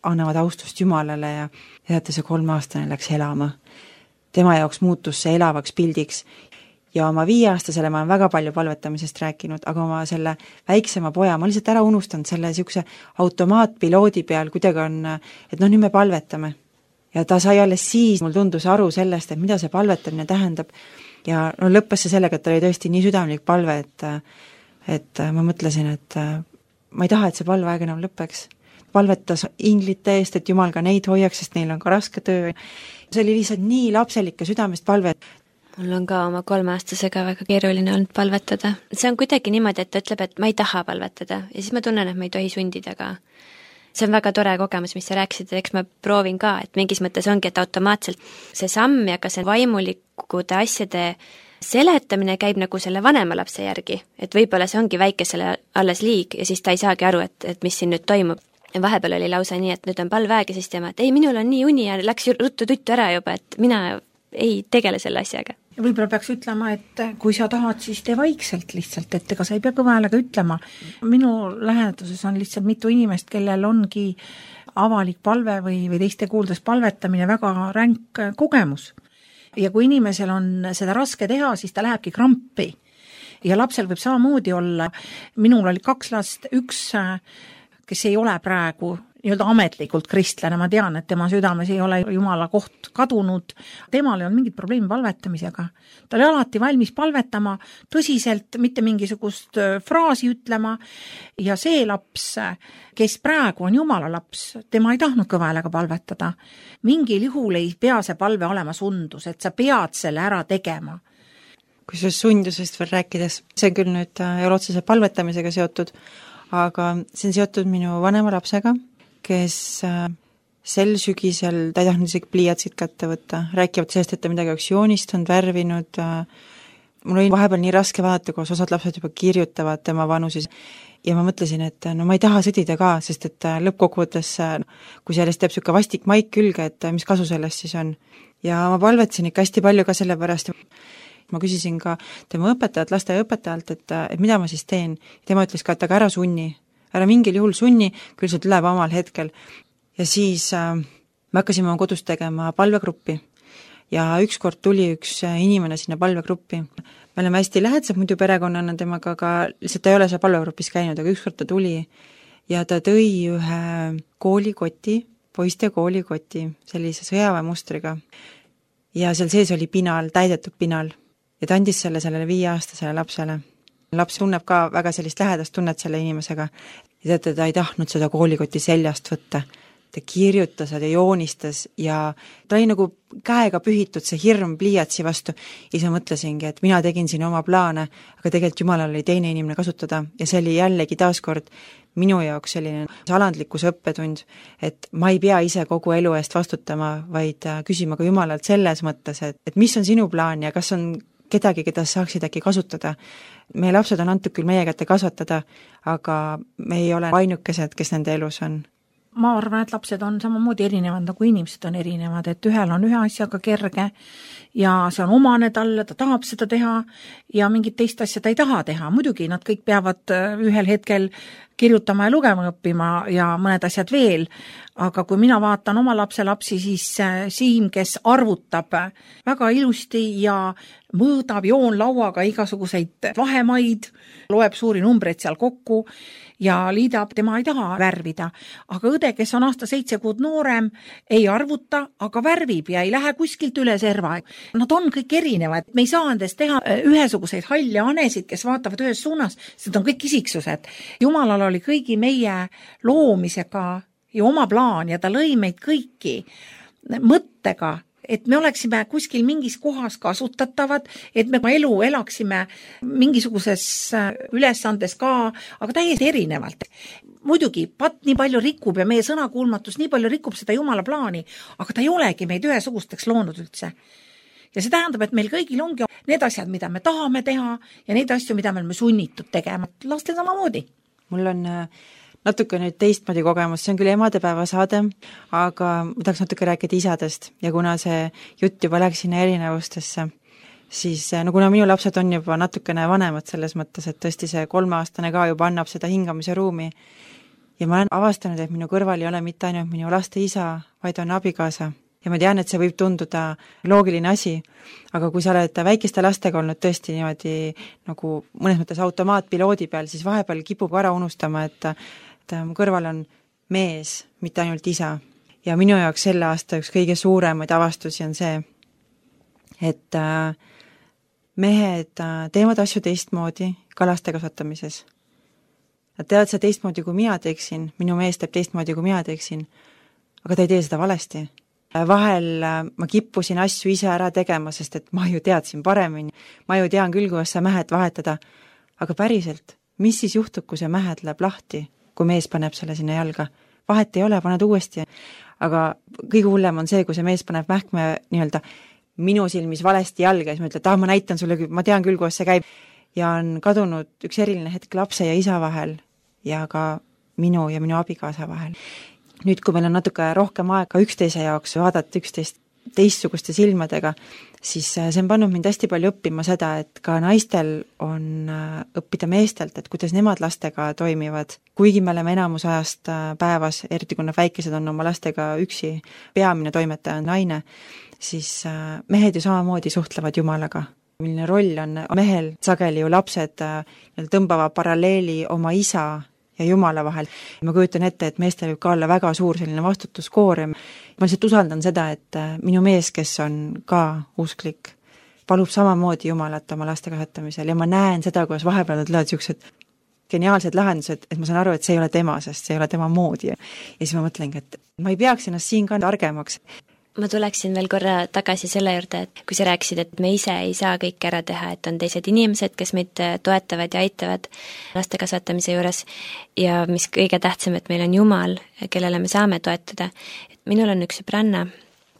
annavad austust Jumalale ja teate, see kolmeaastane läks elama. Tema jaoks muutus see elavaks pildiks ja oma viieaastasele ma olen väga palju palvetamisest rääkinud, aga oma selle väiksema poja ma lihtsalt ära unustanud selle niisuguse automaatpiloodi peal, kuidagi on, et noh, nüüd me palvetame. Ja ta sai alles siis, mul tundus aru sellest, et mida see palvetamine tähendab ja no lõppes see sellega, et ta oli tõesti nii südamlik palve, et, et ma mõtlesin, et ma ei taha, et see palve aeg enam lõppeks. Palvetas inglite eest, et Jumal ka neid hoiaks, sest neil on ka raske töö. See oli lihtsalt nii lapselik ja südamest palve. Mul on ka oma kolmeaastasega väga keeruline olnud palvetada. See on kuidagi niimoodi, et ta ütleb, et ma ei taha palvetada ja siis ma tunnen, et ma ei tohi sundida ka. See on väga tore kogemus, mis sa rääkisid, eks ma proovin ka, et mingis mõttes ongi, et automaatselt see samm ja ka see vaimulikude asjade seletamine käib nagu selle vanema lapse järgi, et võib-olla see ongi väikesele alles liig ja siis ta ei saagi aru, et, et mis siin nüüd toimub. Ja vahepeal oli lausa nii, et nüüd on palveaeg ja siis tema, et ei, minul on nii uni ja läks ruttu tuttu ära juba, et mina ei tegele selle asjaga. Ja võib-olla peaks ütlema, et kui sa tahad, siis tee vaikselt lihtsalt, et ega sa ei pea kõva häälega ütlema. Minu läheduses on lihtsalt mitu inimest, kellel ongi avalik palve või, või teiste kuuldes palvetamine väga ränk kogemus. Ja kui inimesel on seda raske teha, siis ta lähebki krampi. Ja lapsel võib samamoodi olla. Minul oli kaks last, üks kes ei ole praegu nii-öelda ametlikult kristlane, ma tean, et tema südames ei ole Jumala koht kadunud, temal ei olnud mingit probleemi palvetamisega. Ta oli alati valmis palvetama tõsiselt, mitte mingisugust fraasi ütlema ja see laps, kes praegu on Jumala laps, tema ei tahtnud kõva häälega palvetada. Mingil juhul ei pea see palve olema sundus, et sa pead selle ära tegema. Kui sellest sundusest veel rääkides, see on küll nüüd elotsese palvetamisega seotud, aga see on seotud minu vanema lapsega, kes sel sügisel, ta ei tahtnud isegi pliiatsid kätte võtta, rääkivad sellest, et ta midagi oleks joonistanud, värvinud. Mul oli vahepeal nii raske vaadata, kus osad lapsed juba kirjutavad tema vanuses ja ma mõtlesin, et no ma ei taha sõdida ka, sest et lõppkokkuvõttes, kui sellest teeb niisugune vastik maik külge, et mis kasu sellest siis on. Ja ma palvetsin ikka hästi palju ka selle pärast. Ma küsisin ka tema õpetajalt, lasteaiaõpetajalt, et, et mida ma siis teen. Tema ütles ka, et aga ära sunni, ära mingil juhul sunni, küll see tuleb omal hetkel. Ja siis äh, me hakkasime oma kodus tegema palvegruppi ja ükskord tuli üks inimene sinna palvegruppi. Me oleme hästi lähedased muidu perekonnana temaga, aga lihtsalt ta ei ole seal palvegrupis käinud, aga ükskord ta tuli ja ta tõi ühe koolikoti, poiste koolikoti, sellise sõjaväemustriga ja seal sees oli pinal, täidetud pinal. Ja ta andis selle sellele viieaastasele lapsele. Laps tunneb ka väga sellist lähedast tunnet selle inimesega. Ja teate, ta ei tahtnud seda koolikoti seljast võtta. Ta kirjutas ja joonistas ja ta oli nagu käega pühitud see hirm pliiatsi vastu. Ja siis mõtlesingi, et mina tegin siin oma plaane, aga tegelikult Jumalal oli teine inimene kasutada ja see oli jällegi taaskord minu jaoks selline alandlikkus õppetund, et ma ei pea ise kogu elu eest vastutama, vaid küsima ka Jumalalt selles mõttes, et, et mis on sinu plaan ja kas on kedagi, keda saaksid äkki kasutada. Meie lapsed on antud küll meie kätte kasvatada, aga me ei ole ainukesed, kes nende elus on. ma arvan, et lapsed on samamoodi erinevad, nagu inimesed on erinevad, et ühel on ühe asjaga kerge ja see on omane talle, ta tahab seda teha ja mingit teist asja ta ei taha teha. Muidugi nad kõik peavad ühel hetkel kirjutama ja lugema õppima ja mõned asjad veel, aga kui mina vaatan oma lapse lapsi, siis Siim, kes arvutab väga ilusti ja mõõdab joonlauaga igasuguseid vahemaid, loeb suuri numbreid seal kokku ja liidab, tema ei taha värvida. Aga õde, kes on aasta seitse kuud noorem, ei arvuta, aga värvib ja ei lähe kuskilt üle serva. Nad on kõik erinevad. Me ei saa endast teha ühesuguseid halle anesid, kes vaatavad ühes suunas, sest on kõik isiksused. Jumalal oli kõigi meie loomisega ja oma plaan ja ta lõi meid kõiki mõttega, et me oleksime kuskil mingis kohas kasutatavad, et me elu elaksime mingisuguses ülesandes ka, aga täiesti erinevalt. Muidugi, pat nii palju rikub ja meie sõnakuulmatus nii palju rikub seda Jumala plaani, aga ta ei olegi meid ühesugusteks loonud üldse. Ja see tähendab, et meil kõigil ongi need asjad, mida me tahame teha ja neid asju, mida me oleme sunnitud tegema. Lastel samamoodi. Mul on natuke nüüd teistmoodi kogemus, see on küll emadepäeva saade, aga ma tahaks natuke rääkida isadest ja kuna see jutt juba läks sinna erinevustesse, siis no kuna minu lapsed on juba natukene vanemad selles mõttes, et tõesti see kolmeaastane ka juba annab seda hingamise ruumi ja ma olen avastanud, et minu kõrval ei ole mitte ainult minu laste isa, vaid on abikaasa. Ja ma tean, et see võib tunduda loogiline asi, aga kui sa oled väikeste lastega olnud tõesti niimoodi nagu mõnes mõttes automaatpiloodi peal, siis vahepeal kipub ära unustama, et, et mu kõrval on mees, mitte ainult isa. Ja minu jaoks selle aasta üks kõige suuremaid avastusi on see, et mehed teevad asju teistmoodi ka laste kasvatamises. Nad teevad seda teistmoodi, kui mina teeksin, minu mees teeb teistmoodi, kui mina teeksin, aga ta ei tee seda valesti. Vahel ma kippusin asju ise ära tegema, sest et ma ju teadsin paremini. Ma ju tean küll, kuidas sa mähed vahetada. Aga päriselt, mis siis juhtub, kui see mähed läheb lahti, kui mees paneb selle sinna jalga? Vahet ei ole, paned uuesti. Aga kõige hullem on see, kui see mees paneb mähkme nii-öelda minu silmis valesti jalga ja siis ma ütlen, et ah, ma näitan sulle, ma tean küll, kuidas see käib. Ja on kadunud üks eriline hetk lapse ja isa vahel ja ka minu ja minu abikaasa vahel. Nüüd, kui meil on natuke rohkem aega üksteise jaoks vaadata üksteist teistsuguste silmadega, siis see on pannud mind hästi palju õppima seda, et ka naistel on õppida meestelt, et kuidas nemad lastega toimivad. Kuigi me oleme enamus ajast päevas, eriti kui nad väikesed on oma lastega üksi, peamine toimetaja on naine, siis mehed ju samamoodi suhtlevad Jumalaga. Milline roll on mehel, sageli ju lapsed tõmbavad paralleeli oma isa ja Jumala vahel. Ma kujutan ette, et meestel võib ka olla väga suur selline vastutuskoorem. Ma lihtsalt usaldan seda, et minu mees, kes on ka usklik, palub samamoodi Jumalat oma laste kasvatamisel ja ma näen seda, kuidas vahepeal tulevad niisugused geniaalsed lahendused, et ma saan aru, et see ei ole tema, sest see ei ole tema moodi. Ja siis ma mõtlengi, et ma ei peaks ennast siin ka targemaks. Ma tuleksin veel korra tagasi selle juurde, et kui sa rääkisid, et me ise ei saa kõik ära teha, et on teised inimesed, kes meid toetavad ja aitavad laste kasvatamise juures ja mis kõige tähtsam, et meil on Jumal, kellele me saame toetada. Minul on üks sõbranna,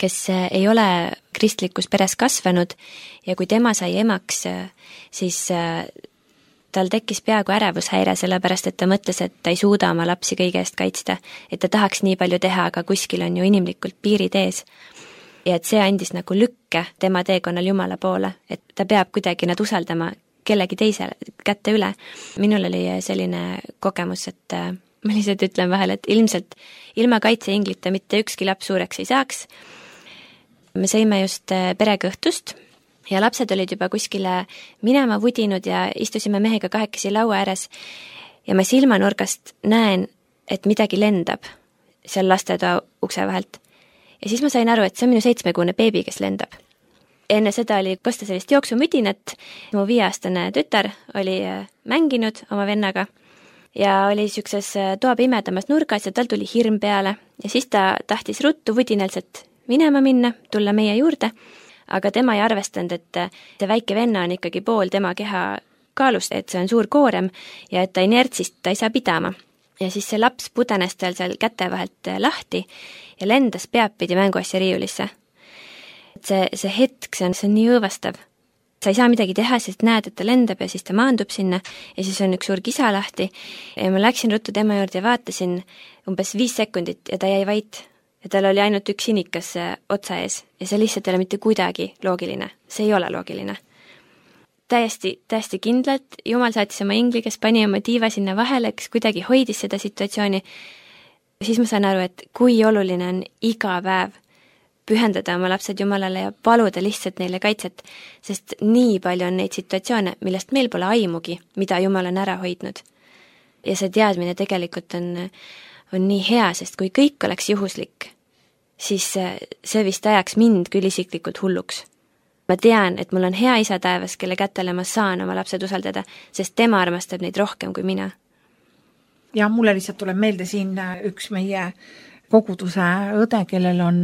kes ei ole kristlikus peres kasvanud ja kui tema sai emaks, siis tal tekkis peaaegu ärevushäire, sellepärast et ta mõtles, et ta ei suuda oma lapsi kõige eest kaitsta, et ta tahaks nii palju teha, aga kuskil on ju inimlikult piirid ees. Ja et see andis nagu lükke tema teekonnal Jumala poole, et ta peab kuidagi nad usaldama kellegi teise kätte üle. Minul oli selline kogemus, et ma lihtsalt ütlen vahel, et ilmselt ilma kaitseinglita mitte ükski laps suureks ei saaks. Me sõime just perekõhtust ja lapsed olid juba kuskile minema vudinud ja istusime mehega kahekesi laua ääres ja ma silmanurgast näen, et midagi lendab seal lastetoa ukse vahelt. Ja siis ma sain aru, et see on minu seitsmekuune beebi, kes lendab. Enne seda oli kosta sellist jooksumüdinat, mu viieaastane tütar oli mänginud oma vennaga ja oli niisuguses toa pimedamas nurgas ja tal tuli hirm peale ja siis ta tahtis ruttu vudinelselt minema minna, tulla meie juurde, aga tema ei arvestanud, et see väike venna on ikkagi pool tema keha kaalust, et see on suur koorem ja et ta inertsist ta ei saa pidama. Ja siis see laps pudenes tal seal käte vahelt lahti ja lendas pead pidi mänguasja riiulisse. See, see hetk, see on, see on nii õõvastav. sa ei saa midagi teha, sest näed, et ta lendab ja siis ta maandub sinna ja siis on üks suur kisa lahti ja ma läksin ruttu tema juurde ja vaatasin umbes viis sekundit ja ta jäi vait ja tal oli ainult üks sinikas otsa ees ja see lihtsalt ei ole mitte kuidagi loogiline, see ei ole loogiline. Täiesti, täiesti kindlalt, Jumal saatis oma ingli, kes pani oma tiiva sinna vahele, kes kuidagi hoidis seda situatsiooni, siis ma saan aru, et kui oluline on iga päev pühendada oma lapsed Jumalale ja paluda lihtsalt neile kaitset, sest nii palju on neid situatsioone, millest meil pole aimugi, mida Jumal on ära hoidnud. Ja see teadmine tegelikult on, on nii hea, sest kui kõik oleks juhuslik, siis see vist ajaks mind küll isiklikult hulluks. Ma tean, et mul on hea isa taevas, kelle kätele ma saan oma lapsed usaldada, sest tema armastab neid rohkem kui mina. Ja mulle lihtsalt tuleb meelde siin üks meie koguduse õde, kellel on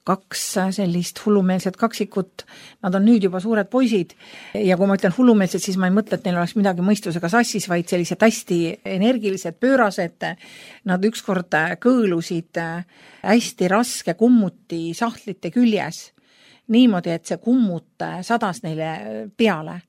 kaks sellist hullumeelset kaksikut, nad on nüüd juba suured poisid ja kui ma ütlen hullumeelsed, siis ma ei mõtle, et neil oleks midagi mõistusega sassis, vaid sellised hästi energilised, pöörased, nad ükskord kõõlusid hästi raske kummuti sahtlite küljes, niimoodi, et see kummut sadas neile peale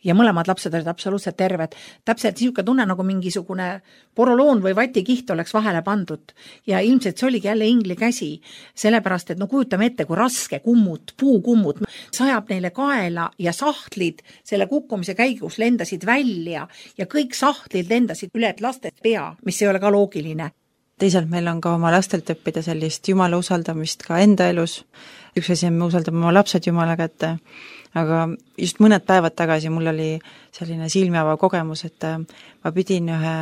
ja mõlemad lapsed olid absoluutselt terved. Täpselt niisugune tunne, nagu mingisugune poroloon või vatikiht oleks vahele pandud ja ilmselt see oligi jälle ingli käsi, sellepärast, et no kujutame ette, kui raske kummut, puukummut sajab neile kaela ja sahtlid selle kukkumise käigus lendasid välja ja kõik sahtlid lendasid üle laste pea, mis ei ole ka loogiline. Teisalt meil on ka oma lastelt õppida sellist Jumala usaldamist ka enda elus. Üks asi on, me usaldame oma lapsed Jumala kätte, aga just mõned päevad tagasi mul oli selline silmiava kogemus, et ma pidin ühe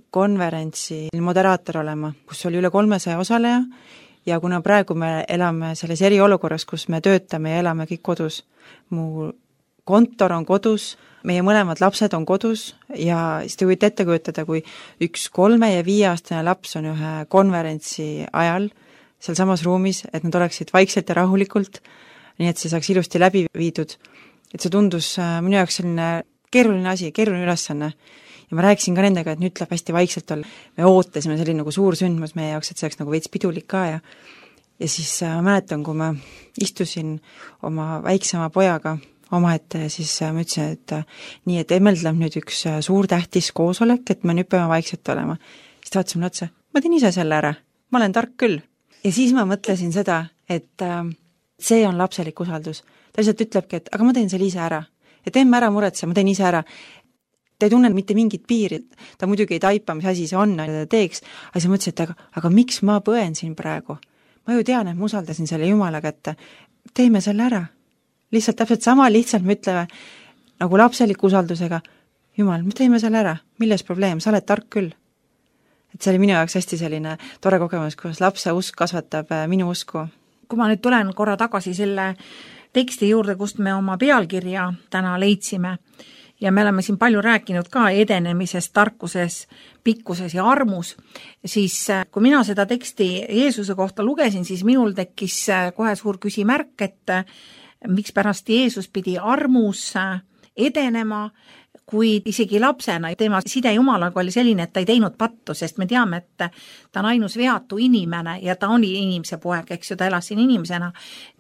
konverentsi moderaator olema, kus oli üle kolmesaja osaleja ja kuna praegu me elame selles eriolukorras, kus me töötame ja elame kõik kodus, mu kontor on kodus, meie mõlemad lapsed on kodus ja siis te võite ette kujutada, kui üks kolme- ja viieaastane laps on ühe konverentsi ajal seal samas ruumis, et nad oleksid vaikselt ja rahulikult, nii et see saaks ilusti läbi viidud. Et see tundus minu jaoks selline keeruline asi, keeruline ülesanne. Ja ma rääkisin ka nendega, et nüüd tuleb hästi vaikselt olla. Me ootasime selline nagu suur sündmus meie jaoks, et see oleks nagu veits pidulik ka ja ja siis ma mäletan, kui ma istusin oma väiksema pojaga omaette, siis ma ütlesin, et nii, et Emmel tuleb nüüd üks suur tähtis koosolek, et me nüüd peame vaikselt olema. Siis ta vaatas mulle otsa, ma teen ise selle ära, ma olen tark küll. Ja siis ma mõtlesin seda, et see on lapselik usaldus. Ta lihtsalt ütlebki, et aga ma teen selle ise ära. Ja teeme ära muretse, ma teen ise ära. Ta ei tunne mitte mingit piiri. Ta muidugi ei taipa, mis asi see on, ta teeks. Aga siis mõtlesin, et aga, aga miks ma põen siin praegu? Ma ju tean, et ma usaldasin selle Jumala kätte. Teeme selle ära. Lihtsalt täpselt sama lihtsalt me ütleme nagu lapseliku usaldusega, Jumal, me teeme selle ära, milles probleem, sa oled tark küll. Et see oli minu jaoks hästi selline tore kogemus, kus lapse usk kasvatab minu usku. Kui ma nüüd tulen korra tagasi selle teksti juurde, kust me oma pealkirja täna leidsime ja me oleme siin palju rääkinud ka edenemises, tarkuses, pikkuses ja armus, siis kui mina seda teksti Jeesuse kohta lugesin, siis minul tekkis kohe suur küsimärk, et miks pärast Jeesus pidi armus edenema, kui isegi lapsena tema side Jumalaga oli selline, et ta ei teinud pattu, sest me teame, et ta on ainus veatu inimene ja ta oli inimese poeg, eks ju, ta elas siin inimesena,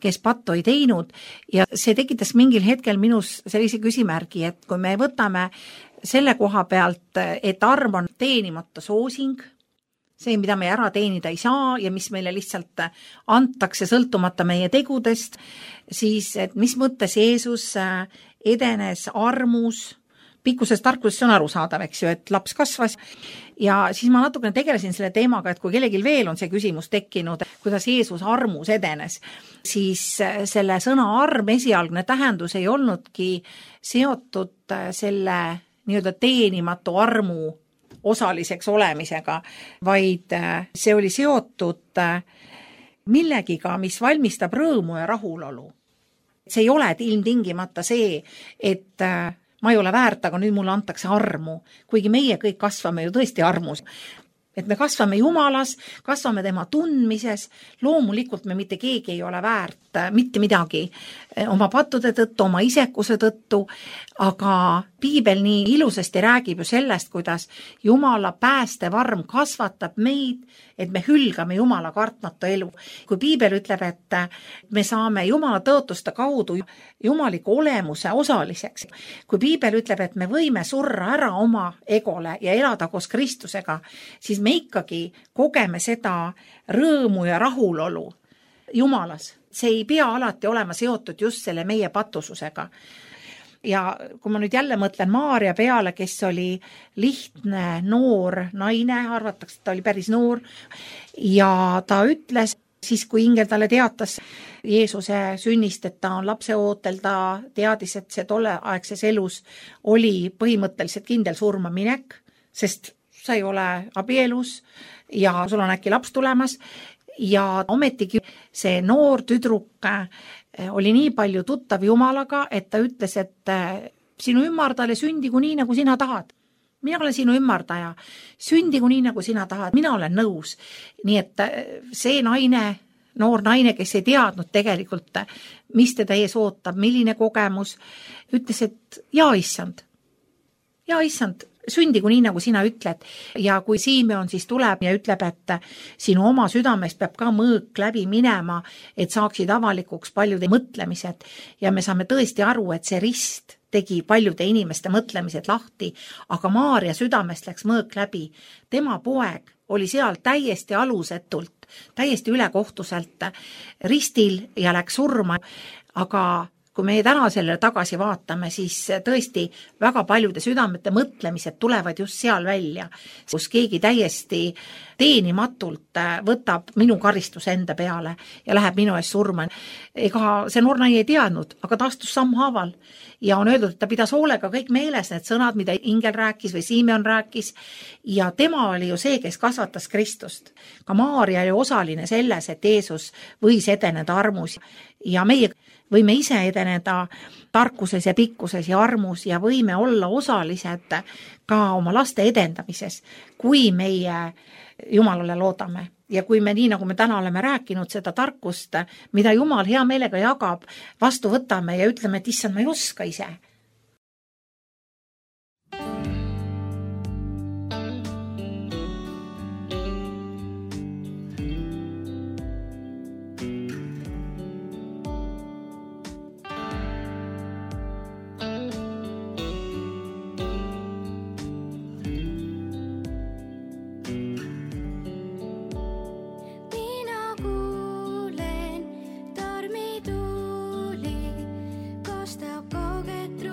kes pattu ei teinud ja see tekitas mingil hetkel minus sellise küsimärgi, et kui me võtame selle koha pealt, et arm on teenimata soosing, see, mida me ära teenida ei saa ja mis meile lihtsalt antakse sõltumata meie tegudest, siis et mis mõttes Jeesus edenes armus, pikkuses tarkuses on arusaadav, eks ju, et laps kasvas ja siis ma natukene tegelesin selle teemaga, et kui kellelgi veel on see küsimus tekkinud, kuidas Jeesus armus edenes, siis selle sõna arm esialgne tähendus ei olnudki seotud selle nii-öelda teenimatu armu osaliseks olemisega, vaid see oli seotud millegiga, mis valmistab rõõmu ja rahulolu. See ei ole ilmtingimata see, et ma ei ole väärt, aga nüüd mulle antakse armu, kuigi meie kõik kasvame ju tõesti armus. et me kasvame Jumalas, kasvame tema tundmises, loomulikult me mitte keegi ei ole väärt mitte midagi oma pattude tõttu, oma isekuse tõttu, aga piibel nii ilusasti räägib ju sellest, kuidas Jumala päästevarm kasvatab meid, et me hülgame Jumala kartmatu elu. Kui piibel ütleb, et me saame Jumala tõotuste kaudu jumaliku olemuse osaliseks, kui piibel ütleb, et me võime surra ära oma egole ja elada koos Kristusega, siis me ikkagi kogeme seda rõõmu ja rahulolu Jumalas. See ei pea alati olema seotud just selle meie patususega. Ja kui ma nüüd jälle mõtlen Maarja peale, kes oli lihtne, noor naine, arvatakse, et ta oli päris noor, ja ta ütles, siis kui ingel talle teatas Jeesuse sünnist, et ta on lapse ootel, ta teadis, et see tolleaegses elus oli põhimõtteliselt kindel surma minek, sest sa ei ole abielus ja sul on äkki laps tulemas, ja ometigi see noor tüdruk oli nii palju tuttav Jumalaga, et ta ütles, et sinu ümmardale sündigu nii, nagu sina tahad. Mina olen sinu ümmardaja, sündigu nii, nagu sina tahad, mina olen nõus. Nii et see naine, noor naine, kes ei teadnud tegelikult, mis teda ees ootab, milline kogemus, ütles, et jaa, issand, jaa, issand, sündigu nii, nagu sina ütled. Ja kui Simeon siis tuleb ja ütleb, et sinu oma südamest peab ka mõõk läbi minema, et saaksid avalikuks paljude mõtlemised. Ja me saame tõesti aru, et see rist tegi paljude inimeste mõtlemised lahti, aga Maarja südamest läks mõõk läbi. Tema poeg oli seal täiesti alusetult, täiesti ülekohtuselt ristil ja läks surma, aga kui me täna sellele tagasi vaatame, siis tõesti väga paljude südamete mõtlemised tulevad just seal välja, kus keegi täiesti teenimatult võtab minu karistuse enda peale ja läheb minu eest surma. Ega see noor naine ei teadnud, aga ta astus sammhaaval ja on öeldud, et ta pidas hoolega kõik meeles need sõnad, mida ingel rääkis või Simeon rääkis, ja tema oli ju see, kes kasvatas Kristust. Ka Maarja oli osaline selles, et Jeesus võis edeneda armus ja meie võime ise edeneda tarkuses ja pikkuses ja armus ja võime olla osalised ka oma laste edendamises, kui meie Jumalale loodame. Ja kui me nii, nagu me täna oleme rääkinud, seda tarkust, mida Jumal hea meelega jagab, vastu võtame ja ütleme, et issand, ma ei oska ise. Kostab kauget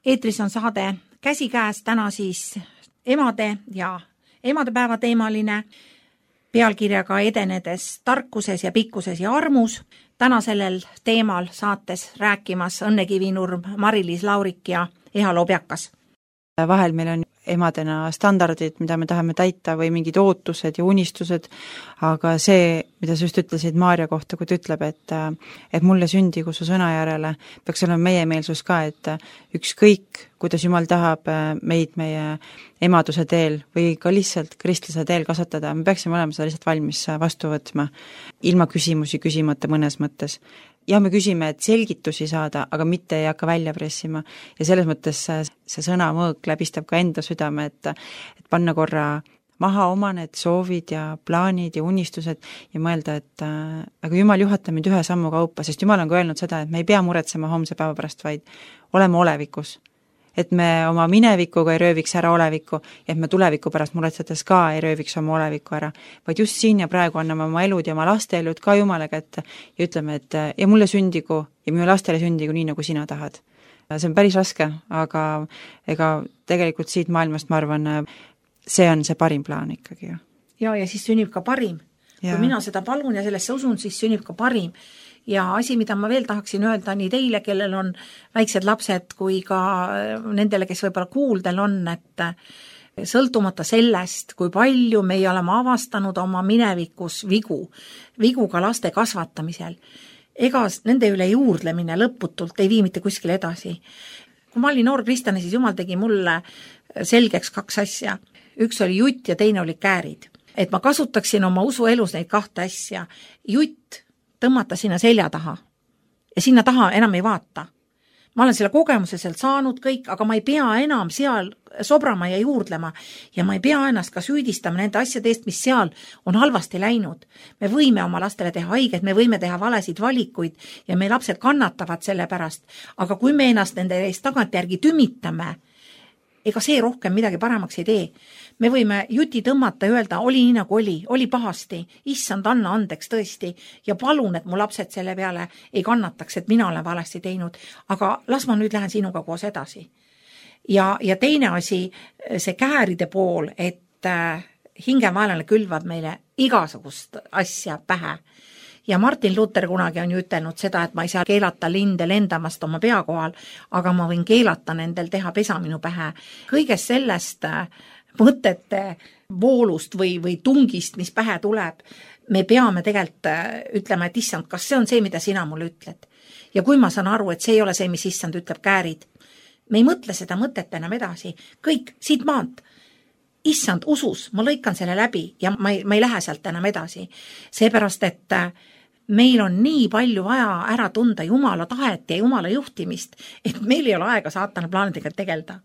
eetris on saade Käsikäes, täna siis emade ja emadepäeva teemaline pealkirjaga Edenedes tarkuses ja pikkuses ja armus. Täna sellel teemal saates rääkimas Õnne Kivinurm, Mari-Liis Laurik ja Eha Lobjakas. Vahel meil on emadena standardid, mida me tahame täita või mingid ootused ja unistused, aga see, mida sa just ütlesid Maarja kohta, kui ta ütleb, et, et mulle sündigu su sõna järele, peaks olema meie meelsus ka, et ükskõik, kuidas Jumal tahab meid meie emaduse teel või ka lihtsalt kristlase teel kasvatada, me peaksime olema seda lihtsalt valmis vastu võtma, ilma küsimusi küsimata mõnes mõttes. Ja me küsime, et selgitusi saada, aga mitte ei hakka välja pressima. Ja selles mõttes see sõna mõõk läbistab ka enda südame, et, et panna korra maha oma need soovid ja plaanid ja unistused ja mõelda, et äh, aga Jumal juhatab meid ühe sammu kaupa, sest Jumal on ka öelnud seda, et me ei pea muretsema homse päeva pärast, vaid oleme olevikus. Et me oma minevikuga ei rööviks ära olevikku ja et me tuleviku pärast muretsedes ka ei rööviks oma olevikku ära, vaid just siin ja praegu anname oma elud ja oma laste elud ka Jumala kätte ja ütleme, et ja mulle sündigu ja minu lastele sündigu nii, nagu sina tahad. See on päris raske, aga ega tegelikult siit maailmast, ma arvan, see on see parim plaan ikkagi. Ja, ja siis sünnib ka parim. Ja. Kui mina seda palun ja sellesse usun, siis sünnib ka parim. Ja asi, mida ma veel tahaksin öelda nii teile, kellel on väiksed lapsed, kui ka nendele, kes võib-olla kuuldel on, et sõltumata sellest, kui palju meie oleme avastanud oma minevikus vigu, vigu ka laste kasvatamisel, ega nende üle juurdlemine lõputult ei vii mitte kuskile edasi. Kui ma olin noor kristlane, siis Jumal tegi mulle selgeks kaks asja. Üks oli jutt ja teine oli käärid. Et ma kasutaksin oma usuelus neid kahte asja. Jutt tõmmata sinna selja taha ja sinna taha enam ei vaata. Ma olen selle kogemuse sealt saanud kõik, aga ma ei pea enam seal sobrama ja juurdlema ja ma ei pea ennast ka süüdistama nende asjade eest, mis seal on halvasti läinud. Me võime oma lastele teha haiget, me võime teha valesid valikuid ja meie lapsed kannatavad selle pärast, aga kui me ennast nende eest tagantjärgi tümitame, ega see rohkem midagi paremaks ei tee. Me võime juti tõmmata ja öelda, oli nii nagu oli, oli pahasti, issand, anna andeks tõesti ja palun, et mu lapsed selle peale ei kannataks, et mina olen valesti teinud, aga las ma nüüd lähen sinuga koos edasi. Ja, ja teine asi, see kääride pool, et hingemaelane külvab meile igasugust asja pähe. Ja Martin Luther kunagi on ju ütelnud seda, et ma ei saa keelata linde lendamast oma pea kohal, aga ma võin keelata nendel teha pesa minu pähe. Kõigest sellest mõtete voolust või, või tungist, mis pähe tuleb, me peame tegelikult ütlema, et issand, kas see on see, mida sina mulle ütled. Ja kui ma saan aru, et see ei ole see, mis issand ütleb, käärid, me ei mõtle seda mõtet enam edasi. Kõik, siit maant. Issand, usus, ma lõikan selle läbi ja ma ei, ma ei lähe sealt enam edasi. Seepärast, et meil on nii palju vaja ära tunda Jumala tahet ja Jumala juhtimist, et meil ei ole aega saatana plaanidega tegelda.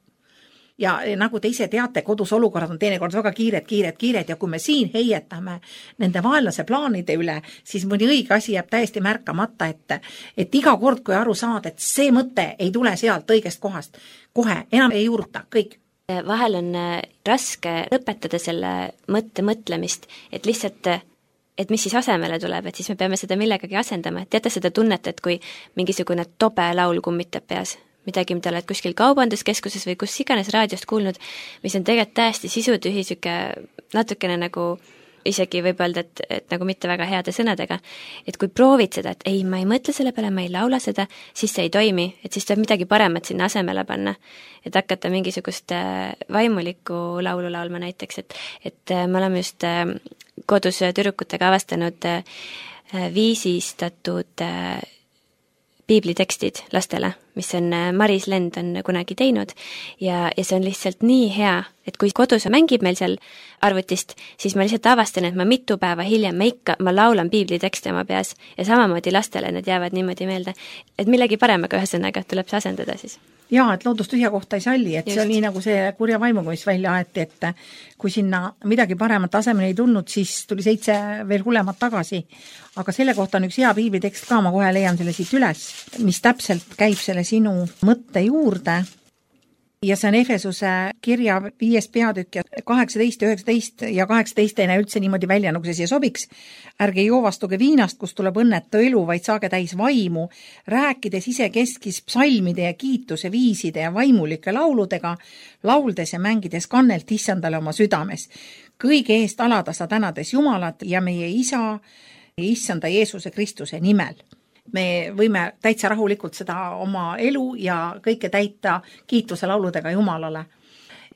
Ja nagu te ise teate, kodus olukorrad on teinekord väga kiired, kiired, kiired ja kui me siin heietame nende vaenlase plaanide üle, siis mõni õige asi jääb täiesti märkamata, et, et iga kord, kui aru saad, et see mõte ei tule sealt õigest kohast, kohe enam ei juurta, kõik. Vahel on raske lõpetada selle mõtte mõtlemist, et lihtsalt, et mis siis asemele tuleb, et siis me peame seda millegagi asendama. Teate seda tunnet, et kui mingisugune tobe laul kummitab peas, midagi, mida oled kuskil kaubanduskeskuses või kus iganes raadiost kuulnud, mis on tegelikult täiesti sisutühi, siuke natukene nagu isegi võib öelda, et, et nagu mitte väga heade sõnadega, et kui proovid seda, et ei, ma ei mõtle selle peale, ma ei laula seda, siis see ei toimi, et siis tuleb midagi paremat sinna asemele panna, et hakata mingisugust vaimulikku laulu laulma näiteks, et, et me oleme just kodus tüdrukutega avastanud viisistatud piiblitekstid lastele, mis on Maris Lend on kunagi teinud ja, ja see on lihtsalt nii hea, et kui kodus mängib meil seal arvutist, siis ma lihtsalt avastan, et ma mitu päeva hiljem ma ikka, ma laulan piiblitekste oma peas ja samamoodi lastele need jäävad niimoodi meelde, et millegi paremaga ühesõnaga tuleb see asendada siis. Jaa, et loodus tühja kohta ei salli, et Just. See oli nii nagu see kurja vaimuga, mis välja aeti, et kui sinna midagi paremat asemel ei tulnud, siis tuli seitse veel hullemat tagasi. Aga selle kohta on üks hea piiblitekst ka, ma kohe leian selle siit üles, mis täpselt käib selle sinu mõtte juurde. Ja see on Efesuse kirja viies peatükk ja kaheksateist, üheksateist ja kaheksateist ei näe üldse niimoodi välja, nagu see siia sobiks. Ärge joovastuge viinast, kus tuleb õnnetu elu, vaid saage täis vaimu, rääkides isekeskis psalmide ja kiituse viiside ja vaimulike lauludega, lauldes ja mängides kannelt issandale oma südames. Kõige eest alada sa tänades Jumalat ja meie isa, issanda Jeesuse Kristuse nimel. Me võime täitsa rahulikult seda oma elu ja kõike täita kiituse lauludega Jumalale.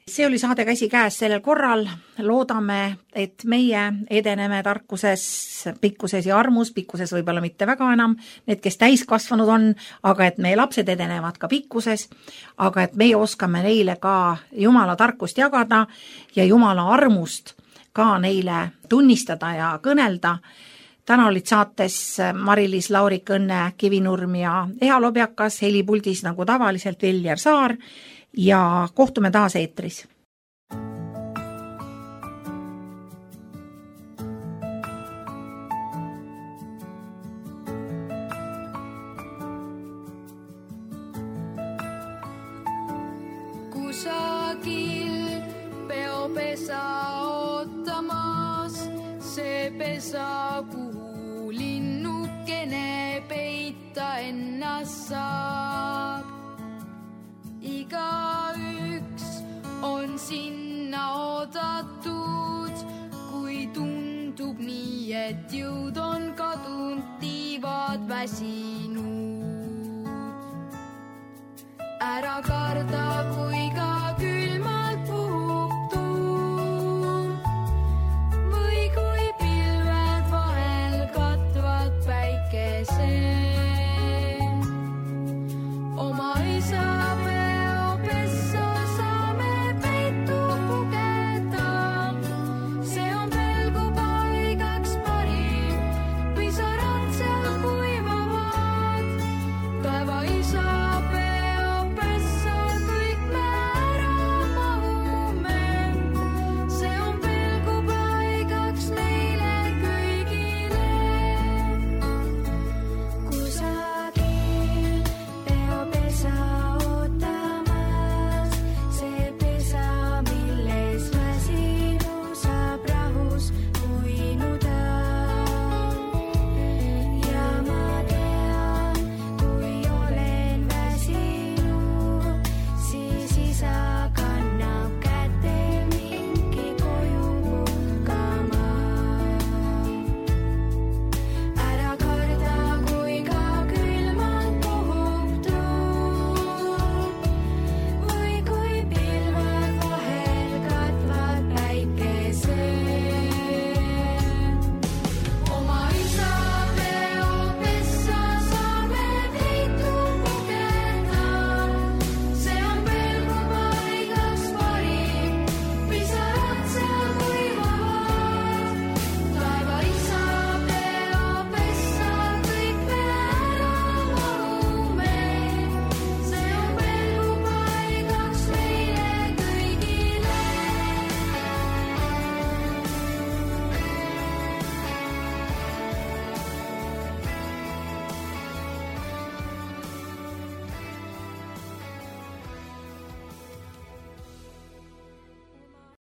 See oli saade Käsi käes sellel korral. Loodame, et meie edeneme tarkuses, pikkuses ja armus, pikkuses võib-olla mitte väga enam, need, kes täiskasvanud on, aga et meie lapsed edenevad ka pikkuses, aga et meie oskame neile ka Jumala tarkust jagada ja Jumala armust ka neile tunnistada ja kõnelda. Täna olid saates Mari-Liis Laurik, Õnne Kivinurm ja Eha Lobjakas, helipuldis nagu tavaliselt Viljar Saar ja kohtume taas eetris. Kusagil peopesa ootamas, see pesa, kuhu linnukene peita ennast saab. Igaüks on sinna oodatud, kui tundub nii, et jõud on kadunud, tiivad väsinud. Ära karda.